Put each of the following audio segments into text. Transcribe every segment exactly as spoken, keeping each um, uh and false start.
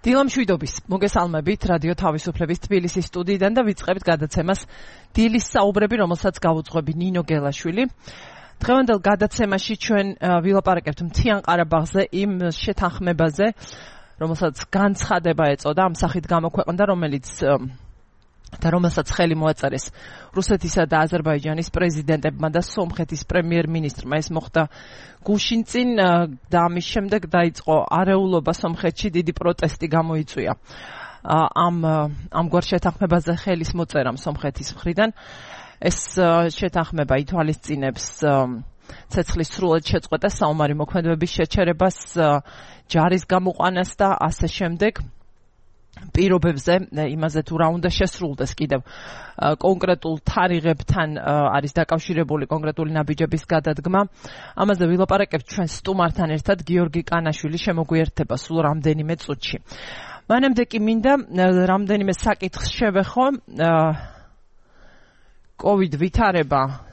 დილამშვიდობის მოგესალმებით რადიო თავისუფლების თბილისის სტუდიიდან და ვიწყებთ გადაცემას დილის საუბრები, რომელსაც გავუძღვები ნინო გელაშვილი. დღევანდელ გადაცემაში ჩვენ ვილაპარაკებთ მთიან ყარაბაღზე, იმ შეთანხმებაზე, რომელსაც განცხადება ეწოდა, ამ სახით გამოქვეყნდა, რომელიც და რომელსაც ხელი მოაწერეს რუსეთისა და აზერბაიჯანის პრეზიდენტებმა და სომხეთის პრემიერ-მინისტრმა. ეს მოხდა გუშინწინ და ამის შემდეგ დაიწყო არეულობა სომხეთში, დიდი პროტესტი გამოიწვია ამ ამგვარ შეთანხმებაზე ხელის მოწერამ სომხეთის მხრიდან. ეს შეთანხმება ითვალისწინებს ცეცხლის სრულად შეწყვეტას, საომარი მოქმედებების შეჩერებას, ჯარის გამოყვანას და ასე შემდეგ. პირობებზე იმაზე თუ რა უნდა შესრულდეს კიდევ კონკრეტულ თარიღებთან არის დაკავშირებული კონკრეტული ნაბიჯების გადადგმა. ამაზე ვილაპარაკებთ ჩვენ სტუმართან ერთად. გიორგი კანაშვილი შემოგვიერთება სულ რამდენიმე წუთში. მანამდე კი მინდა რამდენიმე საკითხს შევეხო. COVID ვითარება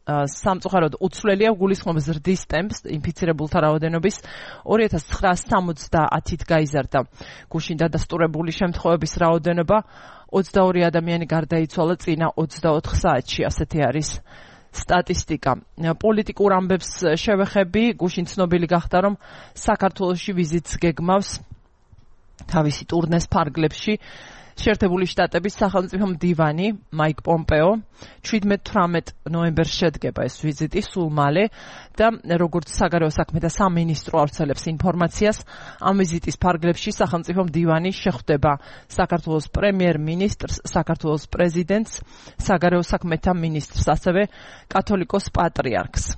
სამწუხაროდ უცვლელია, გულისხმობს ზრდის ტემპს, ინფიცირებულთა რაოდენობის ორი ათას ცხრაასი ოცდაათით გაიზარდა გუშინ დადასტურებული შემთხვევების რაოდენობა, ოცდაორი ადამიანი გარდაიცვალა წინა ოცდაოთხ საათში, ასეთი არის სტატისტიკა. პოლიტიკურ ამბებს შევეხები, გუშინ ცნობილი გახდა, რომ საქართველოში ვიზიტს გეგმავს თავისი ტურნეს ფარგლებში შეერთებული შტატების სახელმწიფო მდივანი მაიკ პომპეო. შვიდმეტ თვრამეტ ნოემბერს შედგება ეს ვიზიტი სულ მალე და როგორც საგარეო საქმეთა სამინისტრო ავრცელებს ინფორმაციას, ამ ვიზიტის ფარგლებში სახელმწიფო მდივანი შეხვდება საქართველოს პრემიერ-მინისტრს, საქართველოს პრეზიდენტს, საგარეო საქმეთა მინისტრს, ასევე კათოლიკოს პატრიარქს.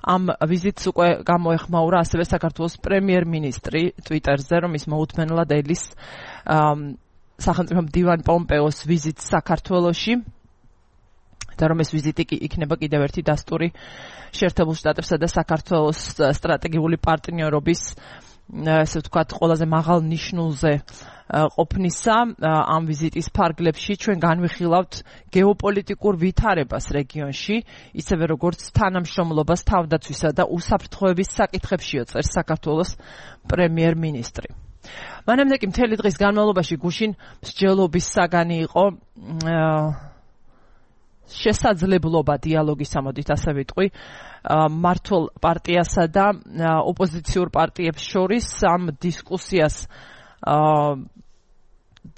ამ ვიზიტს უკვე გამოეხმაურა ასევე საქართველოს პრემიერ-მინისტრი ტვიტერზე, რომ ის მოუთმენლად ელის სახელმწიფო მდივან პომპეოს ვიზიტს საქართველოში და რომ ეს ვიზიტი იქნება კიდევ ერთი დასტური შეერთებულ შტატებსა და საქართველოს სტრატეგიული პარტნიორობის, ესე ვთქვათ, ყველაზე მაღალ ნიშნულზე ყოფნისა. ამ ვიზიტის ფარგლებში ჩვენ განვიხილავთ გეოპოლიტიკურ ვითარებას რეგიონში, ისევე როგორც თანამშრომლობას თავდაცვისა და უსაფრთხოების საკითხებშიო წერს საქართველოს პრემიერ-მინისტრი. მანამდე კი მთელი დღის განმავლობაში გუშინ მსჯელობის საგანი იყო შესაძლებლობა დიალოგის, ამოდით ასე ვიტყვი, მართლ პარტიასა და ოპოზიციურ პარტიებს შორის. ამ დისკუსიას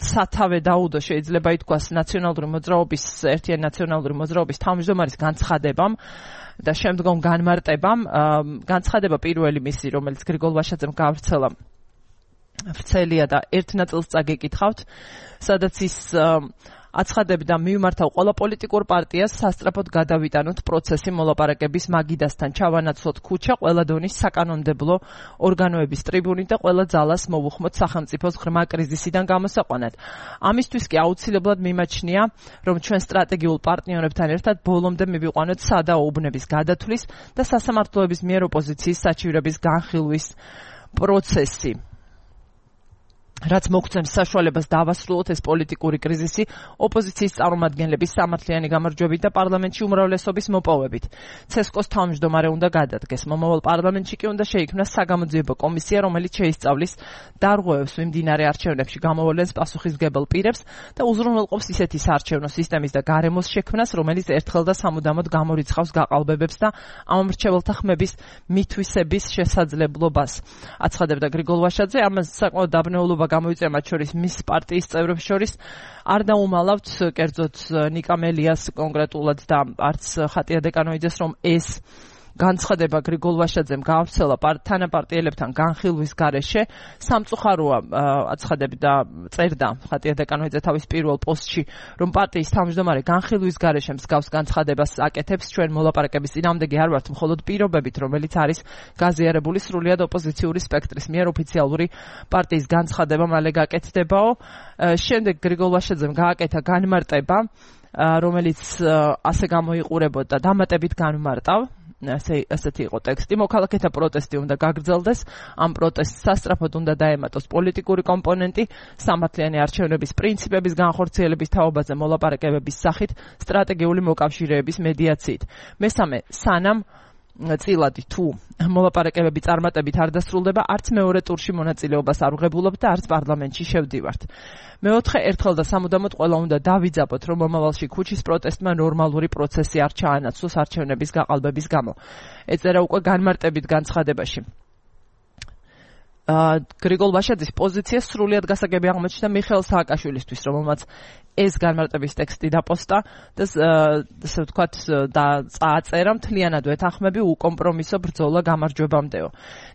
სათავე დაუდო შეიძლება ითქვას ნაციონალური მოძრაობის, ერთიანი ნაციონალური მოძრაობის თავმჯდომარის განცხადებამ და შემდგომ განმარტებამ. განცხადება პირველი მისი, რომელიც გრიგოლ ვაშაძემ გაავრცელა, ვრცელია და ერთ ნაწილს წაგიკითხავთ, სადაც ის აცხადებდა, მივმართავ ყველა პოლიტიკურ პარტიას სასწრაფოდ გადავიტანოთ პროცესი მოლაპარაკების მაგიდასთან, ჩავანაცვლოთ ქუჩა, ყველა დონის საკანონმდებლო ორგანოების ტრიბუნით და ყველა ძალას მოვუხმოთ სახელმწიფოს ღრმა კრიზისიდან გამოსაყვანად. ამისთვის კი აუცილებლად მიმაჩნია, რომ ჩვენ სტრატეგიულ პარტნიორებთან ერთად ბოლომდე მივიყვანოთ სადაო უბნების გადათვლის და სასამართლოების მიერ ოპოზიციის საჩივრების განხილვის პროცესი, რაც მოგცემს საშუალებას დავასრულოთ ეს პოლიტიკური კრიზისი ოპოზიციის წარმომადგენლების სამართლიანი გამარჯვებით და პარლამენტში უმრავლესობის მოპოვებით. ცესკოს თავმჯდომარე უნდა გადადგეს. მომავალ პარლამენტში კი უნდა შეიქმნას საგამოძიებო კომისია, რომელიც შეისწავლის დარღვევებს მიმდინარე არჩევნებში გამოვლენს პასუხისმგებელ პირებს და უზრუნველყოფს ისეთი საარჩევნო სისტემის და გარემოს შექმნას, რომელიც ერთხელ და სამუდამოდ გამორიცხავს გაყალბებებს და ამ მრჩეველთა ხმების მითვისების შესაძლებლობას. აცხადებდა გრიგოლ ვაშაძე. ამას საკმაოდ დაბნეულობა გამოიწვია მათ შორის მის პარტიის წევრებს შორის. არ დაუმალავთ კერძოდ ნიკამელიას კონკრეტულად და არც ხატია დეკანოიძეს, რომ ეს განცხადება გრიგოლ ვაშაძემ გაავრცელა თანაპარტიელებთან განხილვის გარეშე. სამწუხაროა, აცხადებდა, წერდა ხატია დეკანოიძე თავის პირველ პოსტში, რომ პარტიის თავმჯდომარე განხილვის გარეშე მსგავს განცხადებას აკეთებს. ჩვენ მოლაპარაკების წინააღმდეგი არ ვართ, მხოლოდ პირობებით, რომელიც არის გაზიარებული სრულიად ოპოზიციური სპექტრის მიერ. ოფიციალური პარტიის განცხადება მალე გაკეთდებაო. შემდეგ გრიგოლ ვაშაძემ გააკეთა განმარტება, რომელიც ასე გამოიყურებოდა, დამატებით განმარტავ. ასეთი იყო ტექსტი. მოქალაქეთა პროტესტი უნდა გაგრძელდეს, ამ პროტესტს სასწრაფოდ უნდა დაემატოს პოლიტიკური კომპონენტი, სამართლიანი არჩევნების პრინციპების განხორციელების თაობაზე მოლაპარაკებების სახით, სტრატეგიული მოკავშირეების მედიაციით. მესამე, სანამ წილადი თუ მოლაპარაკებები წარმატებით არ დასრულდება, არც მეორე ტურში მონაწილეობას არ ვღებულობთ და არც პარლამენტში შევდივართ. მეოთხე ერთხელ და სამუდამოდ ყველა უნდა დავიძაბოთ, რომ მომავალში ქუჩის პროტესტმა ნორმალური პროცესი არ ჩაანაცვლოს არჩევნების გაყალბების გამო. ეწერა უკვე განმარტებით განცხადებაში. გრიგოლ ვაშაძის პოზიცია სრულიად გასაგები აღმოჩნდა მიხეილ სააკაშვილისთვის, რომელმაც ეს განმარტების ტექსტი დაპოსტა და ასე ვთქვათ წააწერა მთლიანად ვეთანხმები უკომპრომისო ბრძოლა გამარჯვებამდეო.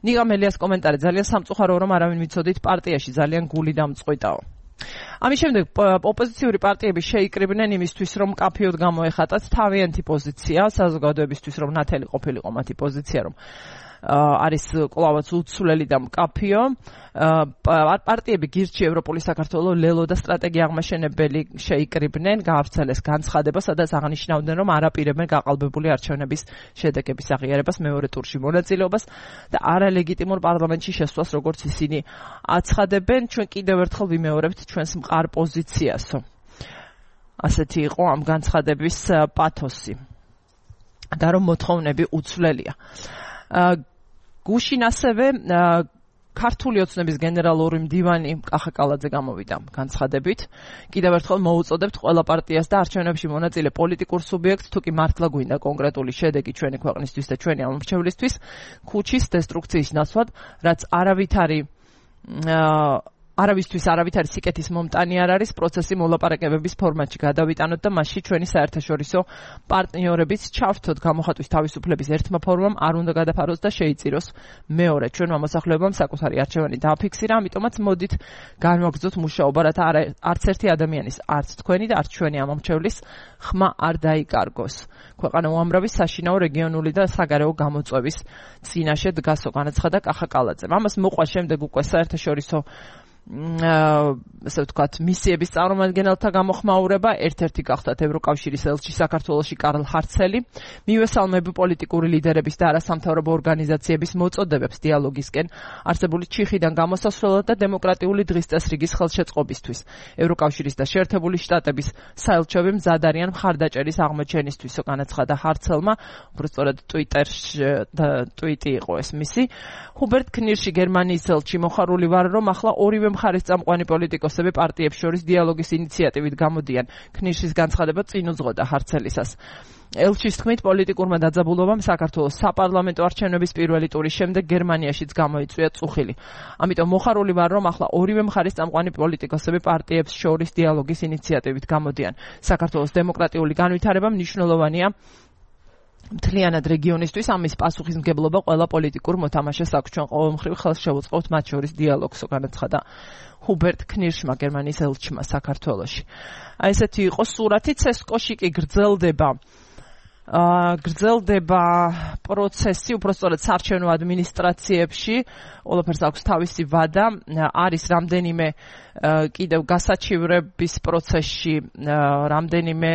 ნიკა მელიას კომენტარი ძალიან სამწუხარო, რომ არავინ მიცოდით პარტიაში ძალიან გული დამწყვიტაო. ამის შემდეგ ოპოზიციური პარტიები შეიკრიბნენ იმისთვის, რომ კაფეოდ გამოეხატათ თავიანთი პოზიცია, საზოგადოებისთვის რომ ნათელი ყოფილიყო მათი პოზიცია, რომ არის კლავაც უცვლელი და მკაფიო. პარტიები გირჩი ევროპული საქართველოს ლელო და სტრატეგია აღმაშენებელი შეიკრიბნენ, გაავრცელეს განცხადება, სადაც აღნიშნავდნენ, რომ არ აპირებენ გაყალბებული არჩევნების შედეგების აღიარებას, მეორე ტურში მონაწილეობას და არალეგიტიმურ პარლამენტში შესვლას, როგორც ისინი აცხადებენ. ჩვენ კიდევ ერთხელ ვიმეორებთ ჩვენს მყარ პოზიციასო. ასეთი იყო ამ განცხადების პათოსი და რომ მოთხოვნები უცვლელია. გუშინ ასევე ქართული ოცნების გენერალური მდივანი კახა კალაძე გამოვიდა განცხადებით. კიდევ ერთხელ მოუწოდებთ ყველა პარტიას და არჩევნებში მონაწილე პოლიტიკურ სუბიექტს, თუ კი მართლა გვინდა კონკრეტული შედეგი ჩვენი ქვეყნისთვის და ჩვენი ამომრჩევლისთვის, ქუჩის დესტრუქციის ნაცვლად, რაც არავითარი არავისთვის არავითარი სიკეთის მომტანი არ არის, პროცესი მოლაპარაკებების ფორმატში გადავიტანოთ და მასში ჩვენი საერთაშორისო პარტნიორებით ჩავრთოთ გამოხატვის თავისუფლების ერთმა ფორმამ არ უნდა გადაფაროს და შეიწიროს მეორე. ჩვენმა მოსახლეობამ საკუთარი არჩევანი დააფიქსირა, ამიტომაც მოდით განვაგრძოთ მუშაობა, რათა არც ერთი ადამიანის, არც თქვენი და არც ჩვენი ამომრჩევლის ხმა არ დაიკარგოს. ქვეყანა უამრავი საშინაო რეგიონული და საგარეო გამოწვევის წინაშე დგასო, განაცხადა კახა კალაძემ. ამას მოყვა შემდეგ უკვე საერთაშორისო ასე ვთქვათ, მისიების წარმომადგენელთა გამოხმაურება, ერთ-ერთი გახდათ ევროკავშირის ელჩი საქართველოში კარლ ჰარცელი, მივესალმები პოლიტიკური ლიდერების და არასამთავრობო ორგანიზაციების მოწოდებებს დიალოგისკენ არსებული ჩიხიდან გამოსასვლელად და დემოკრატიული დღის წესრიგის ხელშეწყობისთვის. ევროკავშირის და შეერთებული შტატების საელჩოები მზად არიან მხარდაჭერის აღმოჩენისთვისო, განაცხადა ჰარცელმა, უბრალოდ ტვიტერში ტვიტი იყო ეს მისი. ჰუბერტ ქნირში გერმანიის ელჩი მოხარული ვარ, რომ ახლა ორივე მხარის წამყვანი პოლიტიკოსები პარტიებს შორის დიალოგის ინიციატივით გამოდიან. ქნირშის განცხადება წინ უძღოდა ჰარცელისას. ელჩის თქმით, პოლიტიკურმა დაძაბულობამ საქართველოს საპარლამენტო არჩევნების პირველი ტურის შემდეგ გერმანიაშიც გამოიწვია წუხილი. ამიტომ მოხარული ვარ, რომ ახლა ორივე მხარის წამყვანი პოლიტიკოსები პარტიებს შორის დიალოგის ინიციატივით გამოდიან. საქართველოს დემოკრატიული განვითარება მნიშვნელოვანია მთლიანად რეგიონისთვის, ამის პასუხისმგებლობა ყველა პოლიტიკურ მოთამაშეს აქვს. ჩვენ ყოველმხრივ ხელს შევუწყობთ მათ შორის დიალოგს, განაცხადა ჰუბერტ ქნირშმა, გერმანიის ელჩმა საქართველოში. აი ესეთი იყო სურათი. ცესკოში კი გრძელდება გრძელდება პროცესი, უბრალოდ საარჩევნო ადმინისტრაციებში, ყველაფერს აქვს თავისი ვადა, არის რამდენიმე კიდევ გასაჩივრების პროცესში, რამდენიმე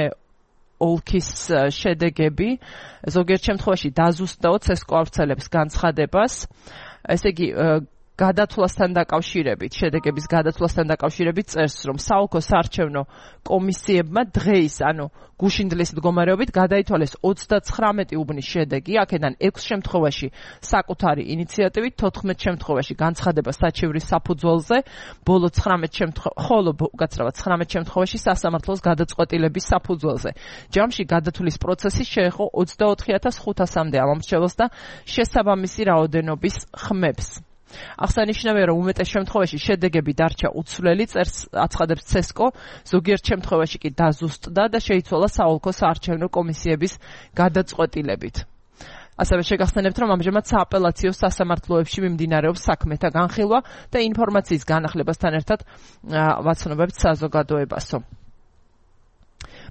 ოლქის შედეგები, ზოგიერთ შემთხვევაში დაზუსტაო ცესკო ავრცელებს განცხადებას, ესე იგი გადათვლასთან დაკავშირებით, შედეგების გადათვლასთან დაკავშირებით წერს, რომ საოლქო საარჩევნო კომისიებმა დღეის, ანუ გუშინდლის მდგომარეობით გადაითვალეს ოცდაცხრამეტი უბნის შედეგი, აქედან ექვს შემთხვევაში საკუთარი ინიციატივით, თოთხმეტ შემთხვევაში განცხადება საჩივრის საფუძველზე, ბოლო ცხრამეტ შემთხვევაში, ხოლო უკაცრავად ცხრამეტ შემთხვევაში სასამართლოს გადაწყვეტილების საფუძველზე. ჯამში გადათვლის პროცესი შეეხო ოცდაოთხი ათას ხუთასამდე ამომრჩეველს და შესაბამისი რაოდენობის ხმებს. აღსანიშნავია, რომ უმეტეს შემთხვევაში შედეგები დარჩა უცვლელი, წერს აცხადებს ცესკო, ზოგიერთ შემთხვევაში კი დაზუსტდა და შეიცვალა საოლქო საარჩევნო კომისიების გადაწყვეტილებით. ასევე შეგახსენებთ, რომ ამჟამად სააპელაციო სასამართლოებში მიმდინარეობს საქმეთა განხილვა და ინფორმაციის განახლებასთან ერთად ვაცნობებთ საზოგადოებასო.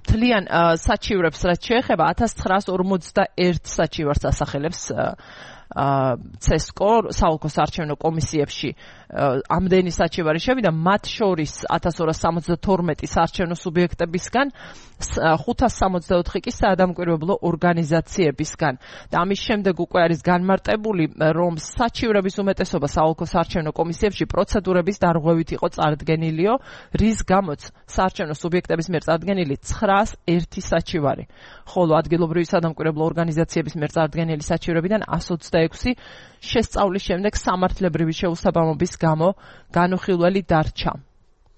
მთლიან საჩივრებს რაც შეეხება ათას ცხრაას ორმოცდაერთ საჩივარს ასახელებს ცესკო საოლქო საარჩევნო კომისიებში ამდენი საჩივარი შევიდა, მათ შორის ათას ორას სამოცდათორმეტი საარჩევნო სუბიექტებისგან, ხუთას სამოცდაოთხი კი საადამკვირვებლო ორგანიზაციებისგან. და ამის შემდეგ უკვე არის განმარტებული, რომ საჩივრების უმეტესობა საოლქო საარჩევნო კომისიებში პროცედურების დარღვევით იყო წარდგენილიო, რის გამოც საარჩევნო სუბიექტების მიერ წარდგენილი ცხრაას ერთი საჩივარი, ხოლო ადგილობრივი საადამკვირვებლო ორგანიზაციების მიერ წარდგენილი საჩივრებიდან ას ოცდაექვსი შესწავლის შემდეგ სამართლებრივი შეუსაბამობის გამო განუხილველი დარჩა.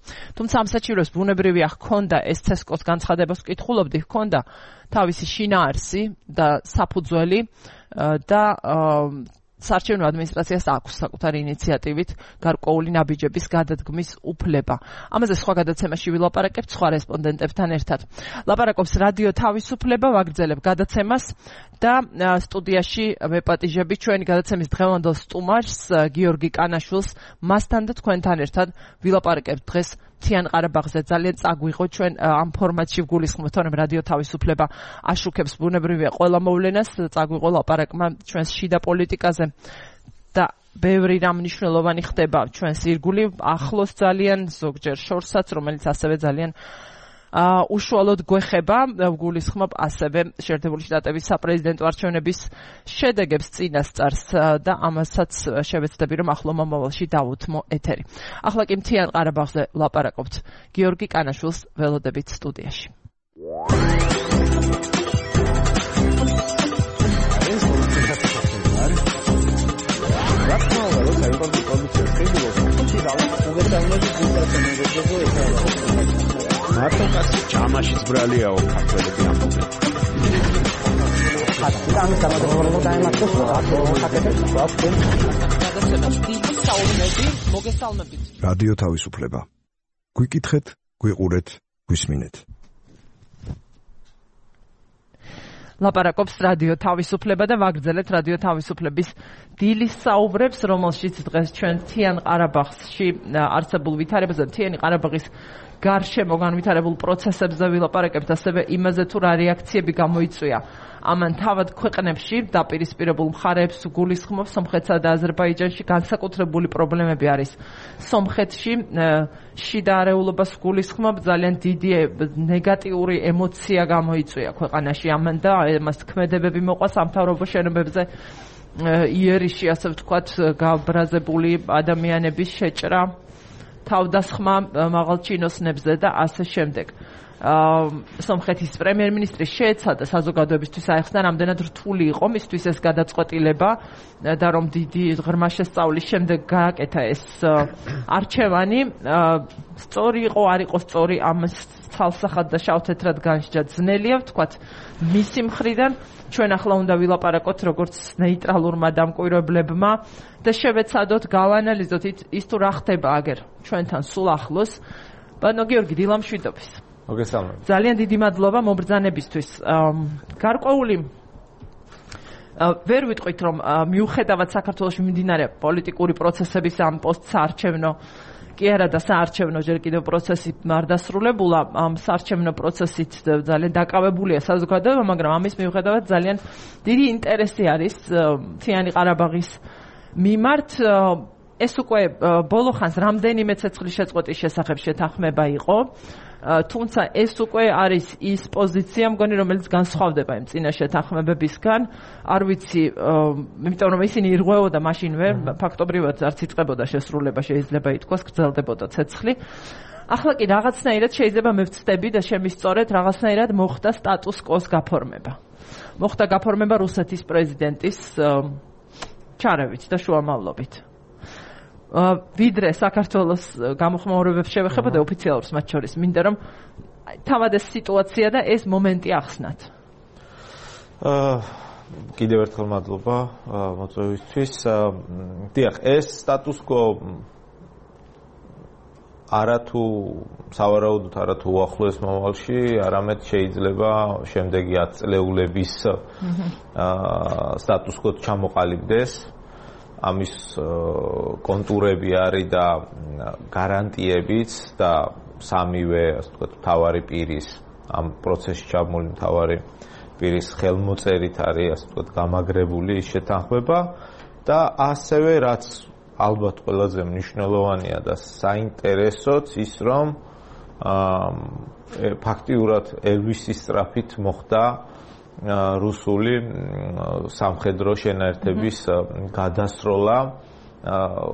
თუმცა ამ საჩივრებს ბუნებრივია ჰქონდა, ეს ცესკოს განცხადებას ვკითხულობდი, ჰქონდა თავისი შინაარსი და საფუძველი და საარჩევნო ადმინისტრაციას აქვს საკუთარი ინიციატივით გარკვეული ნაბიჯების გადადგმის უფლება. ამაზე სხვა გადაცემაში ვილაპარაკებთ სხვა რესპონდენტებთან ერთად. ლაპარაკობს რადიო თავისუფლება, ვაგრძელებ გადაცემას და სტუდიაში ვეპატიჟები ჩვენი გადაცემის დღევანდელ სტუმარს გიორგი კანაშვილს, მასთან და თქვენთან ერთად ვილაპარაკებთ დღეს მთიან ყარაბაღზე. ძალიან წაგვიღო ჩვენ ამ ფორმატში ვგულისხმობთ, რომ რადიო თავისუფლება აშუქებს ბუნებრივია ყველა მოვლენას, წაგვიღო ლაპარაკმა ჩვენს შიდა პოლიტიკაზე და ბევრი რამ მნიშვნელოვანი ხდება ჩვენს ირგული ახლოს ძალიან, ზოგჯერ შორსაც, რომელიც ასევე ძალიან უშუალოდ გვეხება. ვგულისხმობ ასევე შეერთებული შტატების საპრეზიდენტო არჩევნების შედეგებს წინასწარს და ამასაც შევეცდები, რომ ახლო მომავალში დავუთმო ეთერი. ახლა კი მთიან ყარაბაღზე ლაპარაკობთ გიორგი კანაშვილს ველოდებით სტუდიაში. მარტო კაცი ჯამაშიც ბრალიაო ქართველები ამბობენ. ხატი გამოგონებოდა დაემართოს რადიო თავისუფლება. გვიკითხეთ, გვიყურეთ, გვისმინეთ. ლაპარაკობს რადიო თავისუფლება და ვაგრძელეთ რადიო თავისუფლების დილის საუბრებს, რომელშიც დღეს ჩვენ მთიან ყარაბაღში არსებულ ვითარებაზე, მთიანი ყარაბაღის გარშემო განვითარებულ პროცესებზე ვილაპარაკებთ, ასევე იმაზე თუ რა რეაქციები გამოიწვია ამან თავად ქვეყნებში დაპირისპირებულ მხარეებს გულისხმობ. სომხეთსა და აზერბაიჯანში განსაკუთრებული პრობლემები არის. სომხეთში შიდა არეულობას გულისხმობ, ძალიან დიდი ნეგატიური ემოცია გამოიწვია ქვეყანაში ამან და მას ქმედებები მოყვა სამთავრობო შენობებზე იერიში, ასე ვთქვათ, გაბრაზებული ადამიანების შეჭრა, თავდასხმა მაღალ ჩინოსნებზე და ასე შემდეგ. სომხეთის პრემიერ-მინისტრი შეეცადა საზოგადოებისთვის აეხსნა, რამდენად რთული იყო მისთვის ეს გადაწყვეტილება და რომ დიდი ღრმა შესწავლის შემდეგ გააკეთა ეს არჩევანი. სწორი იყო, არ იყო სწორი, ამას ცალსახად და შავ-თეთრად განსჯა ძნელია ვთქვათ მისი მხრიდან. ჩვენ ახლა უნდა ვილაპარაკოთ როგორც ნეიტრალურმა დამკვირვებლებმა და შევეცადოთ, გავანალიზოთ ის თუ რა ხდება აგერ ჩვენთან სულ ახლოს. ბატონო გიორგი, დილამშვიდობის. მოგესალმებით. ძალიან დიდი მადლობა მობრძანებისთვის. გარკვეული ვერ ვიტყვით, რომ მიუხედავად საქართველოში მიმდინარე პოლიტიკური პროცესების ამ პოსტსაარჩევნო კი არა და საარჩევნო ჯერ კიდევ პროცესი არ დასრულებულა, ამ საარჩევნო პროცესით ძალიან დაკავებულია საზოგადოება, მაგრამ ამის მიუხედავად ძალიან დიდი ინტერესი არის მთიანი ყარაბაღის მიმართ. ეს უკვე ბოლო ხანს რამდენიმე ცეცხლის შეწყვეტის შესახებ შეთანხმება იყო, თუმცა ეს უკვე არის ის პოზიცია, მგონი, რომელიც განსხვავდება იმ წინა შეთანხმებებისგან. არ ვიცი, იმიტომ რომ ისინი ირღვეოდა მაშინვე, ფაქტობრივად არც იწყებოდა შესრულება, შეიძლება ითქვას, გრძელდებოდა ცეცხლი. ახლა კი რაღაცნაირად შეიძლება მე ვცდები და შემისწორეთ, რაღაცნაირად მოხდა სტატუს კოს გაფორმება. მოხდა გაფორმება რუსეთის პრეზიდენტის ჩარევით და შუამავლობით. ვიდრე საქართველოს გამოხმაურებებს შევეხებოდა ოფიციალურს მათ შორის, მინდა რომ თავად ეს სიტუაცია და ეს მომენტი ახსნათ. აა კიდევ ერთხელ მადლობა მოწვევისთვის. დიახ, ეს სტატუს კო არათუ სავარაუდოდ არათუ უახლოეს მომავალში, არამედ შეიძლება შემდეგი ათწლეულების აა სტატუს კო ჩამოყალიბდეს. ამის კონტურები არის და გარანტიებიც და სამივე, ასე ვთქვათ, მთავარი პირის ამ პროცესში ჩაბმული მთავარი პირის ხელმოწერით არის ასე ვთქვათ გამაგრებული ის შეთანხმება და ასევე რაც ალბათ ყველაზე მნიშვნელოვანია და საინტერესოც ის რომ ფაქტიურად ელვისის სწრაფით მოხდა რუსული სამხედრო შენაერთების გადასროლა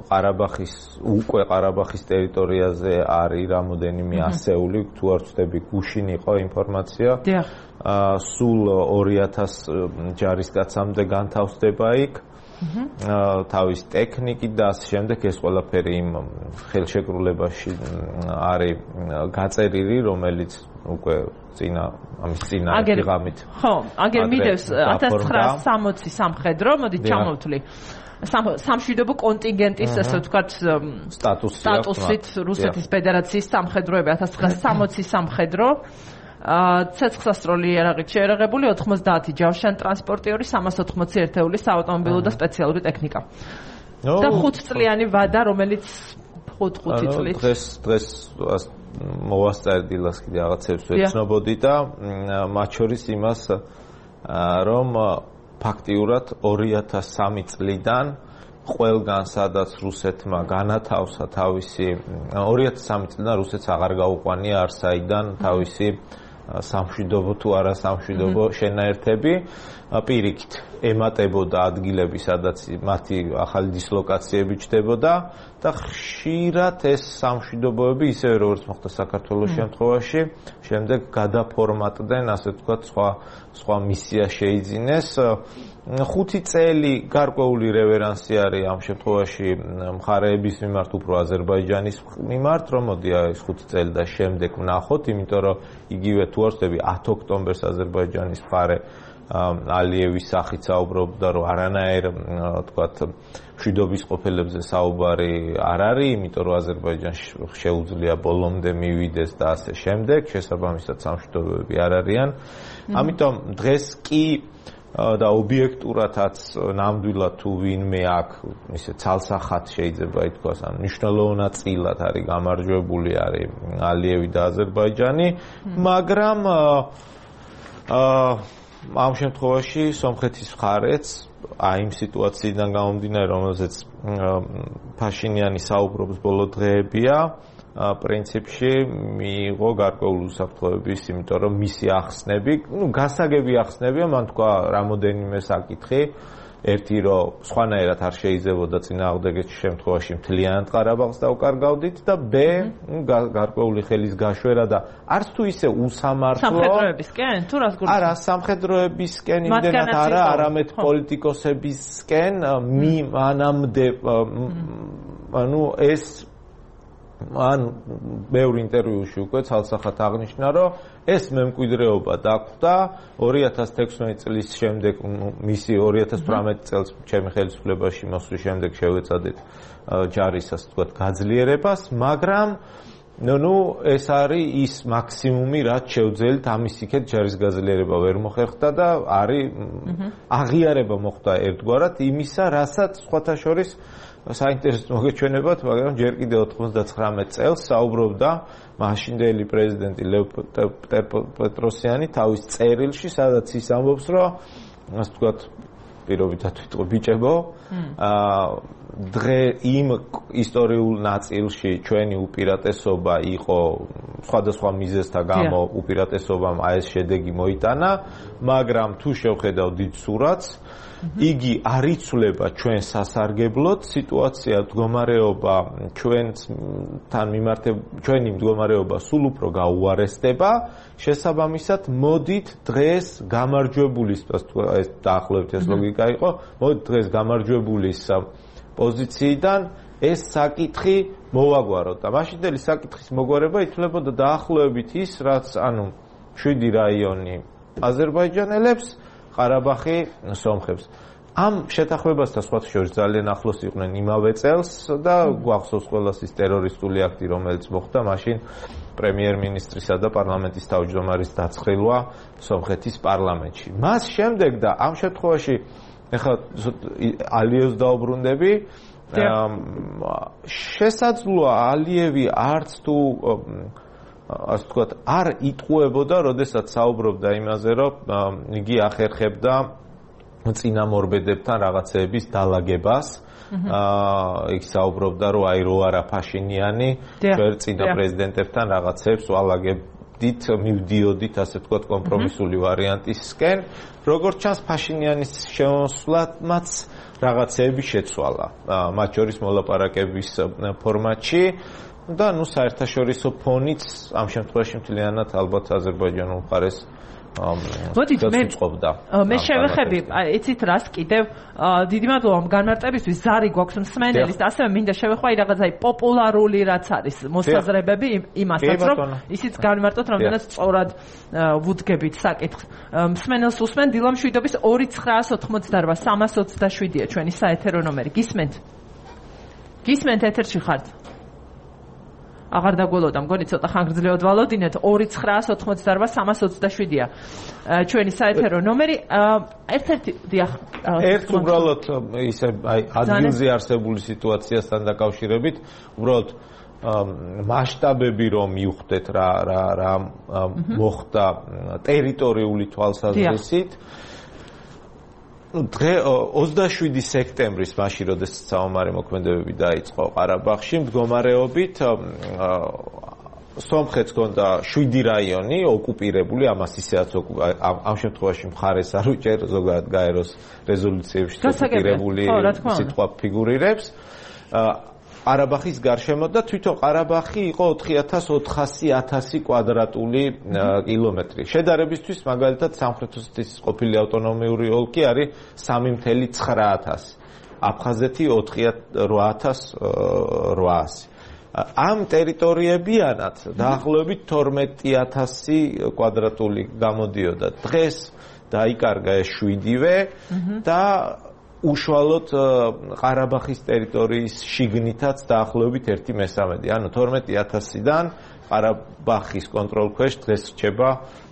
ყარაბახის უკვე ყარაბახის ტერიტორიაზე არის რამოდენიმე ასეული თუ არ ვწდები გუშინ იყო ინფორმაცია სულ ორი ათას ჯარისკაცამდე განთავსდება იქ თავის ტექნიკით და ასე შემდეგ ეს ყველაფერი იმ ხელშეკრულებაში არის გაწერილი რომელიც უკვე წინა ამის წინა ღამით ხო აგერ მიდევს ათას ცხრაასი სამოცი სამხედრო მოდი ჩამოვთვლი სამშვიდობო კონტინგენტის ასე ვთქვათ სტატუსით რუსეთის ფედერაციის სამხედროები ათას ცხრაასი სამოცი სამხედრო ცეცხლსასროლი იარაღით შეერაღებული ოთხმოცდაათი ჯავშანი ტრანსპორტიორი სამას ოთხმოცი ერთეული საავტომობილო და სპეციალური ტექნიკა და ხუთწლიანი ვადა რომელიც ხუთ-ხუთი წლის დღეს დღეს მოვასწარი დილას კიდე რაღაცებს ვეცნობოდი და მათ შორის იმას რომ ფაქტიურად ორი ათას სამი წლიდან ყველგან სადაც რუსეთმა განათავსა თავისი ორი ათას სამი წლიდან რუსეთს აღარ გაუყვანია არსაიდან თავისი სამშვიდობო თუ არა სამშვიდობო შენაერთები პირიქით ემატებოდა ადგილები სადაც მათი ახალი დისლოკაციები ჩდებოდა და ხშირად ეს სამშვიდობოები ისევე როგორც მოხდა საქართველოს შემთხვევაში შემდეგ გადაფორმატდნენ ასე ვთქვათ სხვა სხვა მისია შეიძინეს ხუთი წელი გარკვეული რევერანსი არის ამ შემთხვევაში მხარეების მიმართ უფრო აზერბაიჯანის მიმართ რომ მოდი ეს ხუთი წელი და შემდეგ ვნახოთ იმიტომ რომ იგივე თუ არ ვწდები ათ ოქტომბერს აზერბაიჯანის მხარე ალიევის სახით საუბრობდა რომ არანაირ ვთქვათ მშვიდობის ყოფილებზე საუბარი არ არის იმიტომ რომ აზერბაიჯანს შეუძლია ბოლომდე მივიდეს და ასე შემდეგ შესაბამისად სამშვიდობოები არ არიან ამიტომ დღეს კი და ობიექტურადაც ნამდვილად თუ ვინმე აქ ისე ცალსახად შეიძლება ითქვას ან მნიშვნელოვნაწილად არის გამარჯვებული არის ალიევი და აზერბაიჯანი მაგრამ ამ შემთხვევაში სომხეთის მხარეც აი იმ სიტუაციიდან გამომდინარე რომელზეც ფაშინიანი საუბრობს ბოლო დღეებია პრინციპში მიიღო გარკვეული უსაფრთხოების იმიტომ რომ მისი ახსნები ნუ გასაგები ახსნებია მან თქვა რამოდენიმე საკითხი ერთი რომ სხვანაირად არ შეიძლებოდა წინააღმდეგეთ შემთხვევაში მთლიანად ყარაბაღს დავკარგავდით და ბ გარკვეული ხელის გაშვერა და არც თუ ისე უსამართლო სამხედროებისკენ თუ რას გულისხმობ არა სამხედროებისკენ იმდენად არა არამედ პოლიტიკოსებისკენ მი მანამდე ანუ ეს ან ბევრ ინტერვიუში უკვე ცალსახად აღნიშნა რომ ეს მემკვიდრეობა დაგვდა ორი ათას თექვსმეტი წლის შემდეგ მისი ორი ათას თვრამეტი წელს ჩემი ხელისუფლებაში მოსვლის შემდეგ შევეცადეთ ჯარის ასე ვთქვათ გაძლიერებას მაგრამ ნუ ეს არის ის მაქსიმუმი რაც შევძელით ამის იქეთ ჯარის გაძლიერება ვერ მოხერხდა და არის აღიარება მოხდა ერთგვარად იმისა რასაც სხვათა შორის საინტერესო მოგეჩვენებათ, მაგრამ ჯერ კიდევ ოთხმოცდათხრამეტ წელს საუბრობდა მაშინდელი პრეზიდენტი ლევ პეტროსიანი თავის წერილში, სადაც ის ამბობს, რომ ასე ვთქვათ, პირობითად ვიტყვი ბიჭებო, აა დღე იმ ისტორიულ ნაწილში ჩვენი უპირატესობა იყო სხვადასხვა მიზეზთა გამო უპირატესობამ აი ეს შედეგი მოიტანა, მაგრამ თუ შევხედავ დიდ სურათს იგი არ იცვლება ჩვენ სასარგებლოდ სიტუაცია მდგომარეობა ჩვენთან მიმართებ ჩვენი მდგომარეობა სულ უფრო გაუარესდება შესაბამისად მოდით დღეს გამარჯვებულის ეს დაახლოებით ეს ლოგიკა იყო მოდით დღეს გამარჯვებულის პოზიციიდან ეს საკითხი მოვაგვაროთ და მაშინდელი საკითხის მოგვარება ითვლებოდა დაახლოებით ის რაც ანუ შვიდი რაიონი აზერბაიჯანელებს ყარაბაღი სომხებს. ამ შეთანხმებასთან სხვათა შორის ძალიან ახლოს იყვნენ იმავე წელს და გვახსოვს ყველას ის ტერორისტული აქტი, რომელიც მოხდა მაშინ პრემიერ-მინისტრისა და პარლამენტის თავმჯდომარის დაცხილვა სომხეთის პარლამენტში. მას შემდეგ და ამ შემთხვევაში ეხლა ალიევს დაუბრუნდები, შესაძლოა ალიევი არც თუ ასე ვთქვათ, არ იტყუებოდა, როდესაც საუბრობდა იმაზე, რომ იგი ახერხებდა წინამორბედებთან რაღაცეების დალაგებას. აა იქ საუბრობდა, რომ აი რო არა ფაშინიანი, ვერ წინა პრეზიდენტებთან რაღაცებს ვალაგებდით, მივდიოდით, ასე ვთქვათ, კომპრომისული ვარიანტისკენ. როგორც ჩანს, ფაშინიანის შემოსვლაც რაღაცეები შეცვალა, მათ შორის მოლაპარაკების ფორმატში. და ნუ საერთაშორისო ფონიც ამ შემთხვევაში მთლიანად ალბათ აზერბაიჯანულ მხარეს მოდით მე მე შევეხები იცით რას კიდევ დიდი მადლობა განმარტებისთვის ზარი გვაქვს მსმენელის და ასევე მინდა შევეხვა აი რაღაცა პოპულარული რაც არის მოსაზრებები იმასაც რომ ისიც განმარტოთ რამდენად სწორად ვუდგებით საკითხს მსმენელს უსმენ დილამ შვიდობის ორი ცხრაას ოთხმოცდაოთხ სამას ოცდაშვიდია ჩვენი საეთერო ნომერი გისმენთ გისმენთ ეთერში ხართ აღარ დაგველოდა, მგონი ცოტა ხანგრძლივად ვალოდინეთ. ორი ცხრაას ოთხმოცდაოთხ სამას ოცდაშვიდია ჩვენი საეთერო ნომერი. ერთ-ერთი დიახ. ერთ უბრალოდ ისე აი ადგილზე არსებული სიტუაციასთან დაკავშირებით, უბრალოდ მასშტაბები რომ მივხვდეთ რა რა რა მოხდა ტერიტორიული თვალსაზრისით. დღე ოცდაშვიდი სექტემბრის მაშინ როდესაც საომარი მოქმედებები დაიწყო ყარაბაღში მდგომარეობით სომხეთს ჰქონდა შვიდი რაიონი ოკუპირებული ამას ისეაც ამ შემთხვევაში მხარეს არ უჭერ ზოგადად გაეროს რეზოლუციებში ოკუპირებული სიტყვა ფიგურირებს ყარაბაღის გარშემო და თვითონ ყარაბაღი იყო ოთხი ათას ოთხასი ათასი კვადრატული კილომეტრი. შედარებისთვის მაგალითად სამხრეთ ოსეთის ყოფილი ავტონომიური ოლქი არის სამი ათას ცხრა ათასი. აფხაზეთი ოთხი რვა ათას რვაასი. ამ ტერიტორიებიანად დაახლოებით თორმეტი ათასი კვადრატული გამოდიოდა. დღეს დაიკარგა ეს შვიდივე და უშუალოდ ყარაბაღის ტერიტორიის შიგნითაც დაახლოებით ერთი მესამედი. ანუ თორმეტი ათასიდან ყარაბაღის კონტროლქვეშ დღეს რჩება